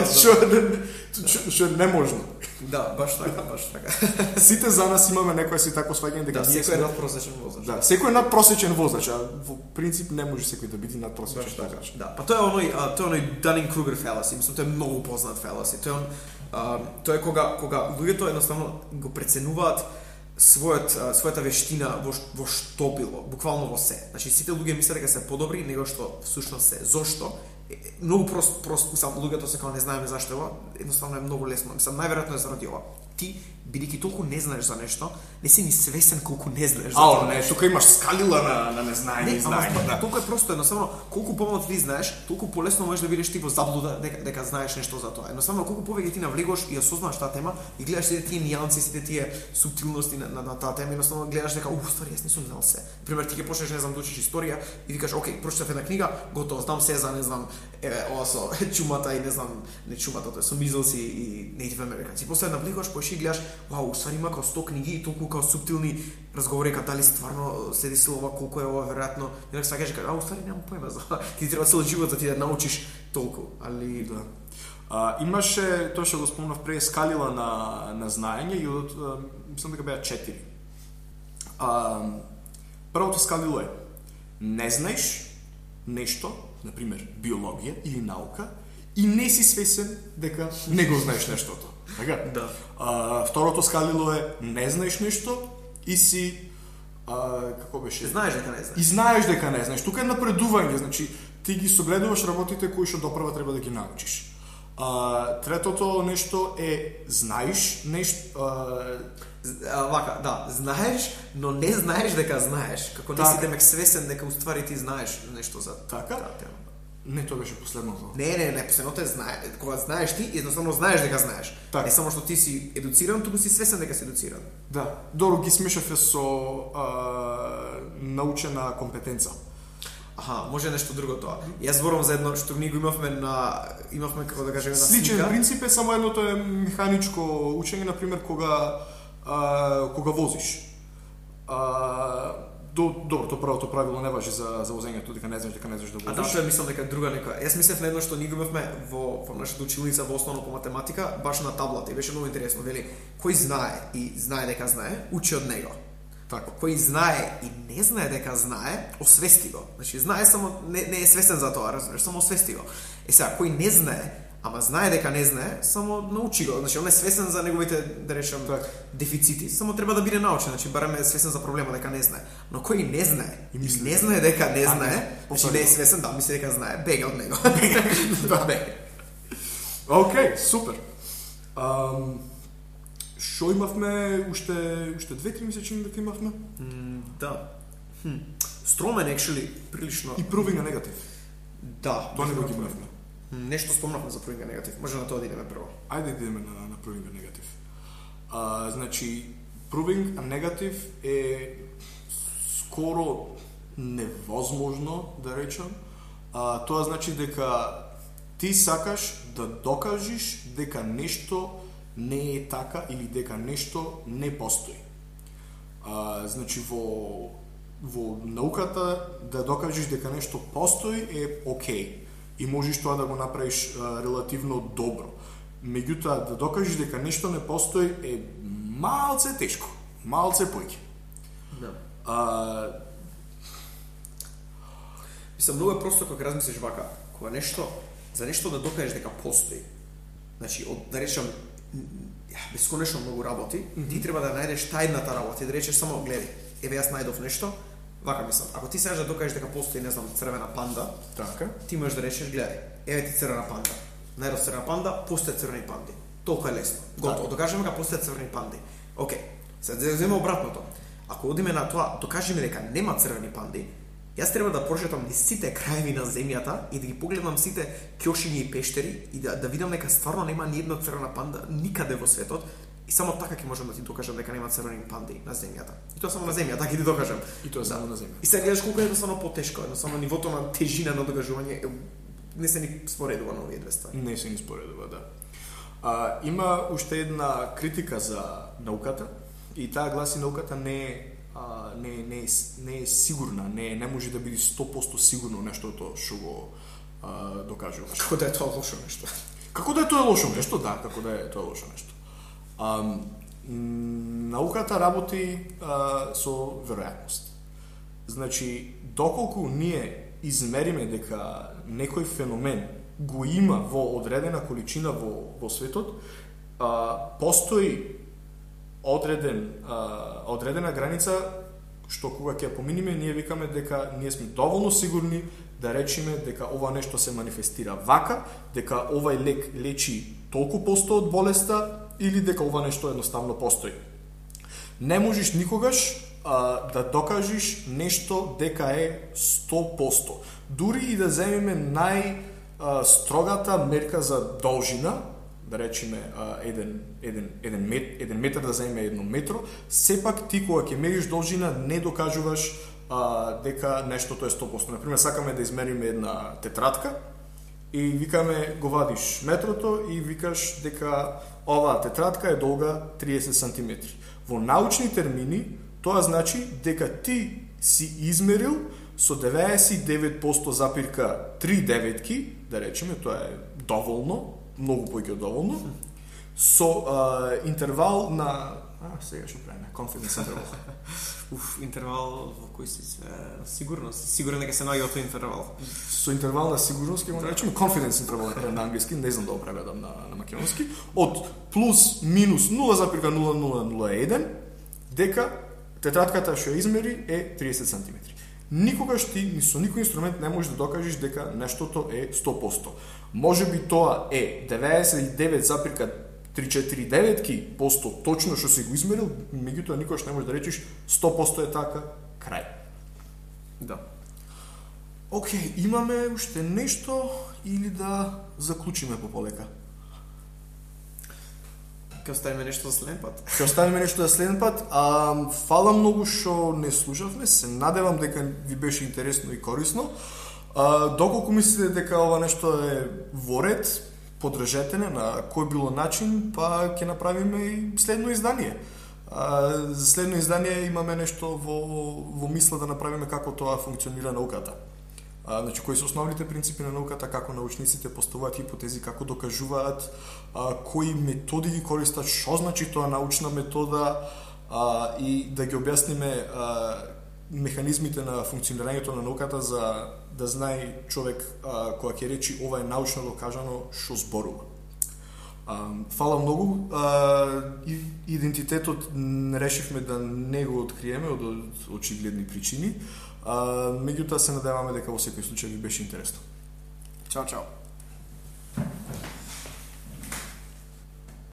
Што е неможно. Да, баш така. Сите за нас имаме некоја си такво сваѓање дека секој е надпросечен возач. Да, секој е надпросечен возач, а во принцип не може секој да биде надпросечен возач. Да, па тоа е оној Dunning-Kruger fallacy, мислам тоа е многу познат fallacy. Тоа е кога луѓето едноставно го преценуваат својата вештина во што било, буквално во се. Значи сите луѓе мислат дека се подобри него што всушност се. Зошто? Многу прост, сам луѓето се кога не знаеме зашто ова, едноставно е многу лесно. Мислам најверојатно е заради ова. Ти бидејќи толку не знаеш за нешто, не си ни свесен колку не знаеш за тоа. Не, тука имаш скалила на незнаење и знаење. Да. Толку е просто, едноставно, колку помалку ти знаеш, толку полесно можеш да бидеш ти во заблуда дека знаеш нешто за тоа. Едноставно, колку повеќе ти навлегуваш и осознаваш таа тема и гледаш сите тие нијанси, сите тие суптилности на таа тема, едноставно гледаш дека ствари јас не сум знал се. Пример, ти ќе почнеш, не знам, да учиш историја и викаш, окей, прочитав една книга, готово, знам се за, не знам, ова со чумата и не знам, не чумата, тоа со мизелси и Native Americans. И после навлегуваш, појши гледаш, вау, ствари има као 100 книги и толку као суптилни разговори, као дали стварно се десило ова, колку е ова веројатно. И нека се кажеш, ствари немам појма за ова. Ти треба цел живот за ти да научиш толку, али да. Имаше, тоа што го спомнав пред, скалила на знаење и мислам дека беа 4. Првото скалило е не знаеш нешто, например биологија или наука, и не си свесен дека не го знаеш нештото. Така? Да. Второто скалило е не знаеш нешто и си како беше? Знаеш дека не знаеш. И знаеш дека не знаеш. Тука е напредување, значи ти ги согледуваш работите кои што допрва треба да ги научиш. Третото нешто е знаеш нешто вака, да, знаеш, но не знаеш дека знаеш. Како не си демек свесен дека уствари ти знаеш нешто за така. Не, тоа беше последното. Не, последното е кога знаеш ти, едноставно знаеш дека знаеш. Так. Не само што ти си едуциран, туку си свесен дека си едуциран. Да, добро ги смешаве со научена компетенца. Аха, може нешто друго тоа. Јас зборувам за едно што ние го имавме како да кажеме на слика. Сличен принцип е, само едното е механичко учење, на пример кога возиш. Добро, тоа првото правило не важи за возењето, дека не знаеш да возиш. А да, тоа мислам дека друга некоја. Јас мислев на едно што ние го имавме во нашата училница во основно по математика, баш на таблата, и беше многу интересно, вели, кој знае и знае дека знае, учи од него. Така. Кој знае и не знае дека знае, освести го. Значи знае, само не е свесен за тоа, разбираш, само освести го. Сега, кој не знае, ама знае дека не знае, само научи го. Значи он е свесен за неговите, да речем, дефицити. Само треба да биде научен, значи барем е свесен за проблема дека не знае. Но кој не знае и не знае дека не знае, значи не е свесен, да, мисли дека знае, бега од него. Да, бега. Океј, супер. Шо имавме уште 2-3 месечини дека имавме? Да. Стромен actually прилично и proving a negative. Да, тоа не го имавме. Нешто спомнавме за proving a negative. Може на тоа да идеме прво. Ајде да идеме на proving a negative. Значи, proving a negative е скоро невозможно, да речам. Тоа значи дека ти сакаш да докажиш дека нешто не е така или дека нешто не постои. Значи, во науката да докажеш дека нешто постои е окей. И можеш тоа да го направиш релативно добро. Меѓутоа, да докажеш дека нешто не постои е малце тешко, малце поќе. Да. Мислам, многу е просто кога размислиш вака, кога за нешто да докажеш дека постои. Значи, да речам, бесконечно многу работи, ти треба да најдеш тајната работа и да речеш само, гледај, еве јас најдов нешто, вака мислам, ако ти сакаш да докажеш дека постои, не знам, црвена панда, така, ти можеш да речеш, гледај, еве ти црвена панда. Најдов црвена панда, постои црвени панди. Толку е лесно. Готово, докажеме дека постои црвени панди. Океј. Сега да земе обратното. Ако одиме на тоа, докажеме дека нема црвени панди, јас треба да прошетам низ сите краеви на земјата и да ги погледам сите ќошиња и пештери и да видам дека стварно нема ни една црвена панда никаде во светот и само така ќе можам да ти докажам дека нема црвени панди на земјата. И тоа само на земјата, така ќе ти докажам. И тоа само на земјата. И сега гледаш колку е едноставно потешко, едноставно нивото на тежина на докажување не се ни споредува на овие две ствари. Не се ни споредува, да. Има уште една критика за науката и таа гласи науката не е сигурна, не може да биде 100% сигурно нештото што го докажуваш. Како да е тоа лошо нешто? Како да е тоа лошо нешто, да, како да е тоа лошо нешто. Науката работи со веројатност. Значи, доколку ние измериме дека некој феномен го има во одредена количина во светот, постои одредена граница што кога ќе поминиме, ние викаме дека ние сме доволно сигурни да речеме дека ова нешто се манифестира вака, дека овај лек лечи толку посто од болеста или дека ова нешто едноставно постои. Не можеш никогаш да докажеш нешто дека е 100%. Дури и да земеме најстрогата мерка за должина, да речеме еден метар да земеме 1 метро, сепак ти кога ќе мериш должина не докажуваш дека нештото е 100%. Например, сакаме да измериме една тетрадка и викаме, го вадиш метрото и викаш дека оваа тетрадка е долга 30 см. Во научни термини, тоа значи дека ти си измерил со 99,3 деветки, да речеме, тоа е доволно, многу поќе од доволно, со интервал на... сега што правиме, confidence interval. Интервал во кој си сигурност. Сигурен дека се наоѓа од тој интервал. Со интервал на сигурност, ќе го наречеме confidence interval на англиски, не знам да го преведам на македонски, од плюс минус 0,0001 дека тетрадката што ја измери е 30 см. Никогаш ти ни со никој инструмент не можеш да докажеш дека нештото е 100%. Може би тоа е 99,349% точно што си го измерил, меѓутоа никогаш не можеш да речеш 100% е така, крај. Да. Океј, имаме уште нешто или да заклучиме полека? Ќе оставиме нешто за следен пат. Ќе оставиме нешто за следен пат. Фала многу што не слушавме. Се надевам дека ви беше интересно и корисно. Доколку мислите дека ова нешто е во ред, подржете на кој било начин, па ќе направиме и следно издание. За следно издание имаме нешто во мисла да направиме како тоа функционира науката. Значи, кои се основните принципи на науката, како научниците поставуваат хипотези, како докажуваат, кои методи ги користат, што значи тоа научна метода, и да ги објасниме механизмите на функционирањето на науката за да знае човек кога ќе речи ова е научно докажано што зборува. Фала многу. Идентитетот решивме да не го откриеме од очигледни причини. Меѓутоа се надеваме дека во секој случај ви беше интересно. Чао, чао.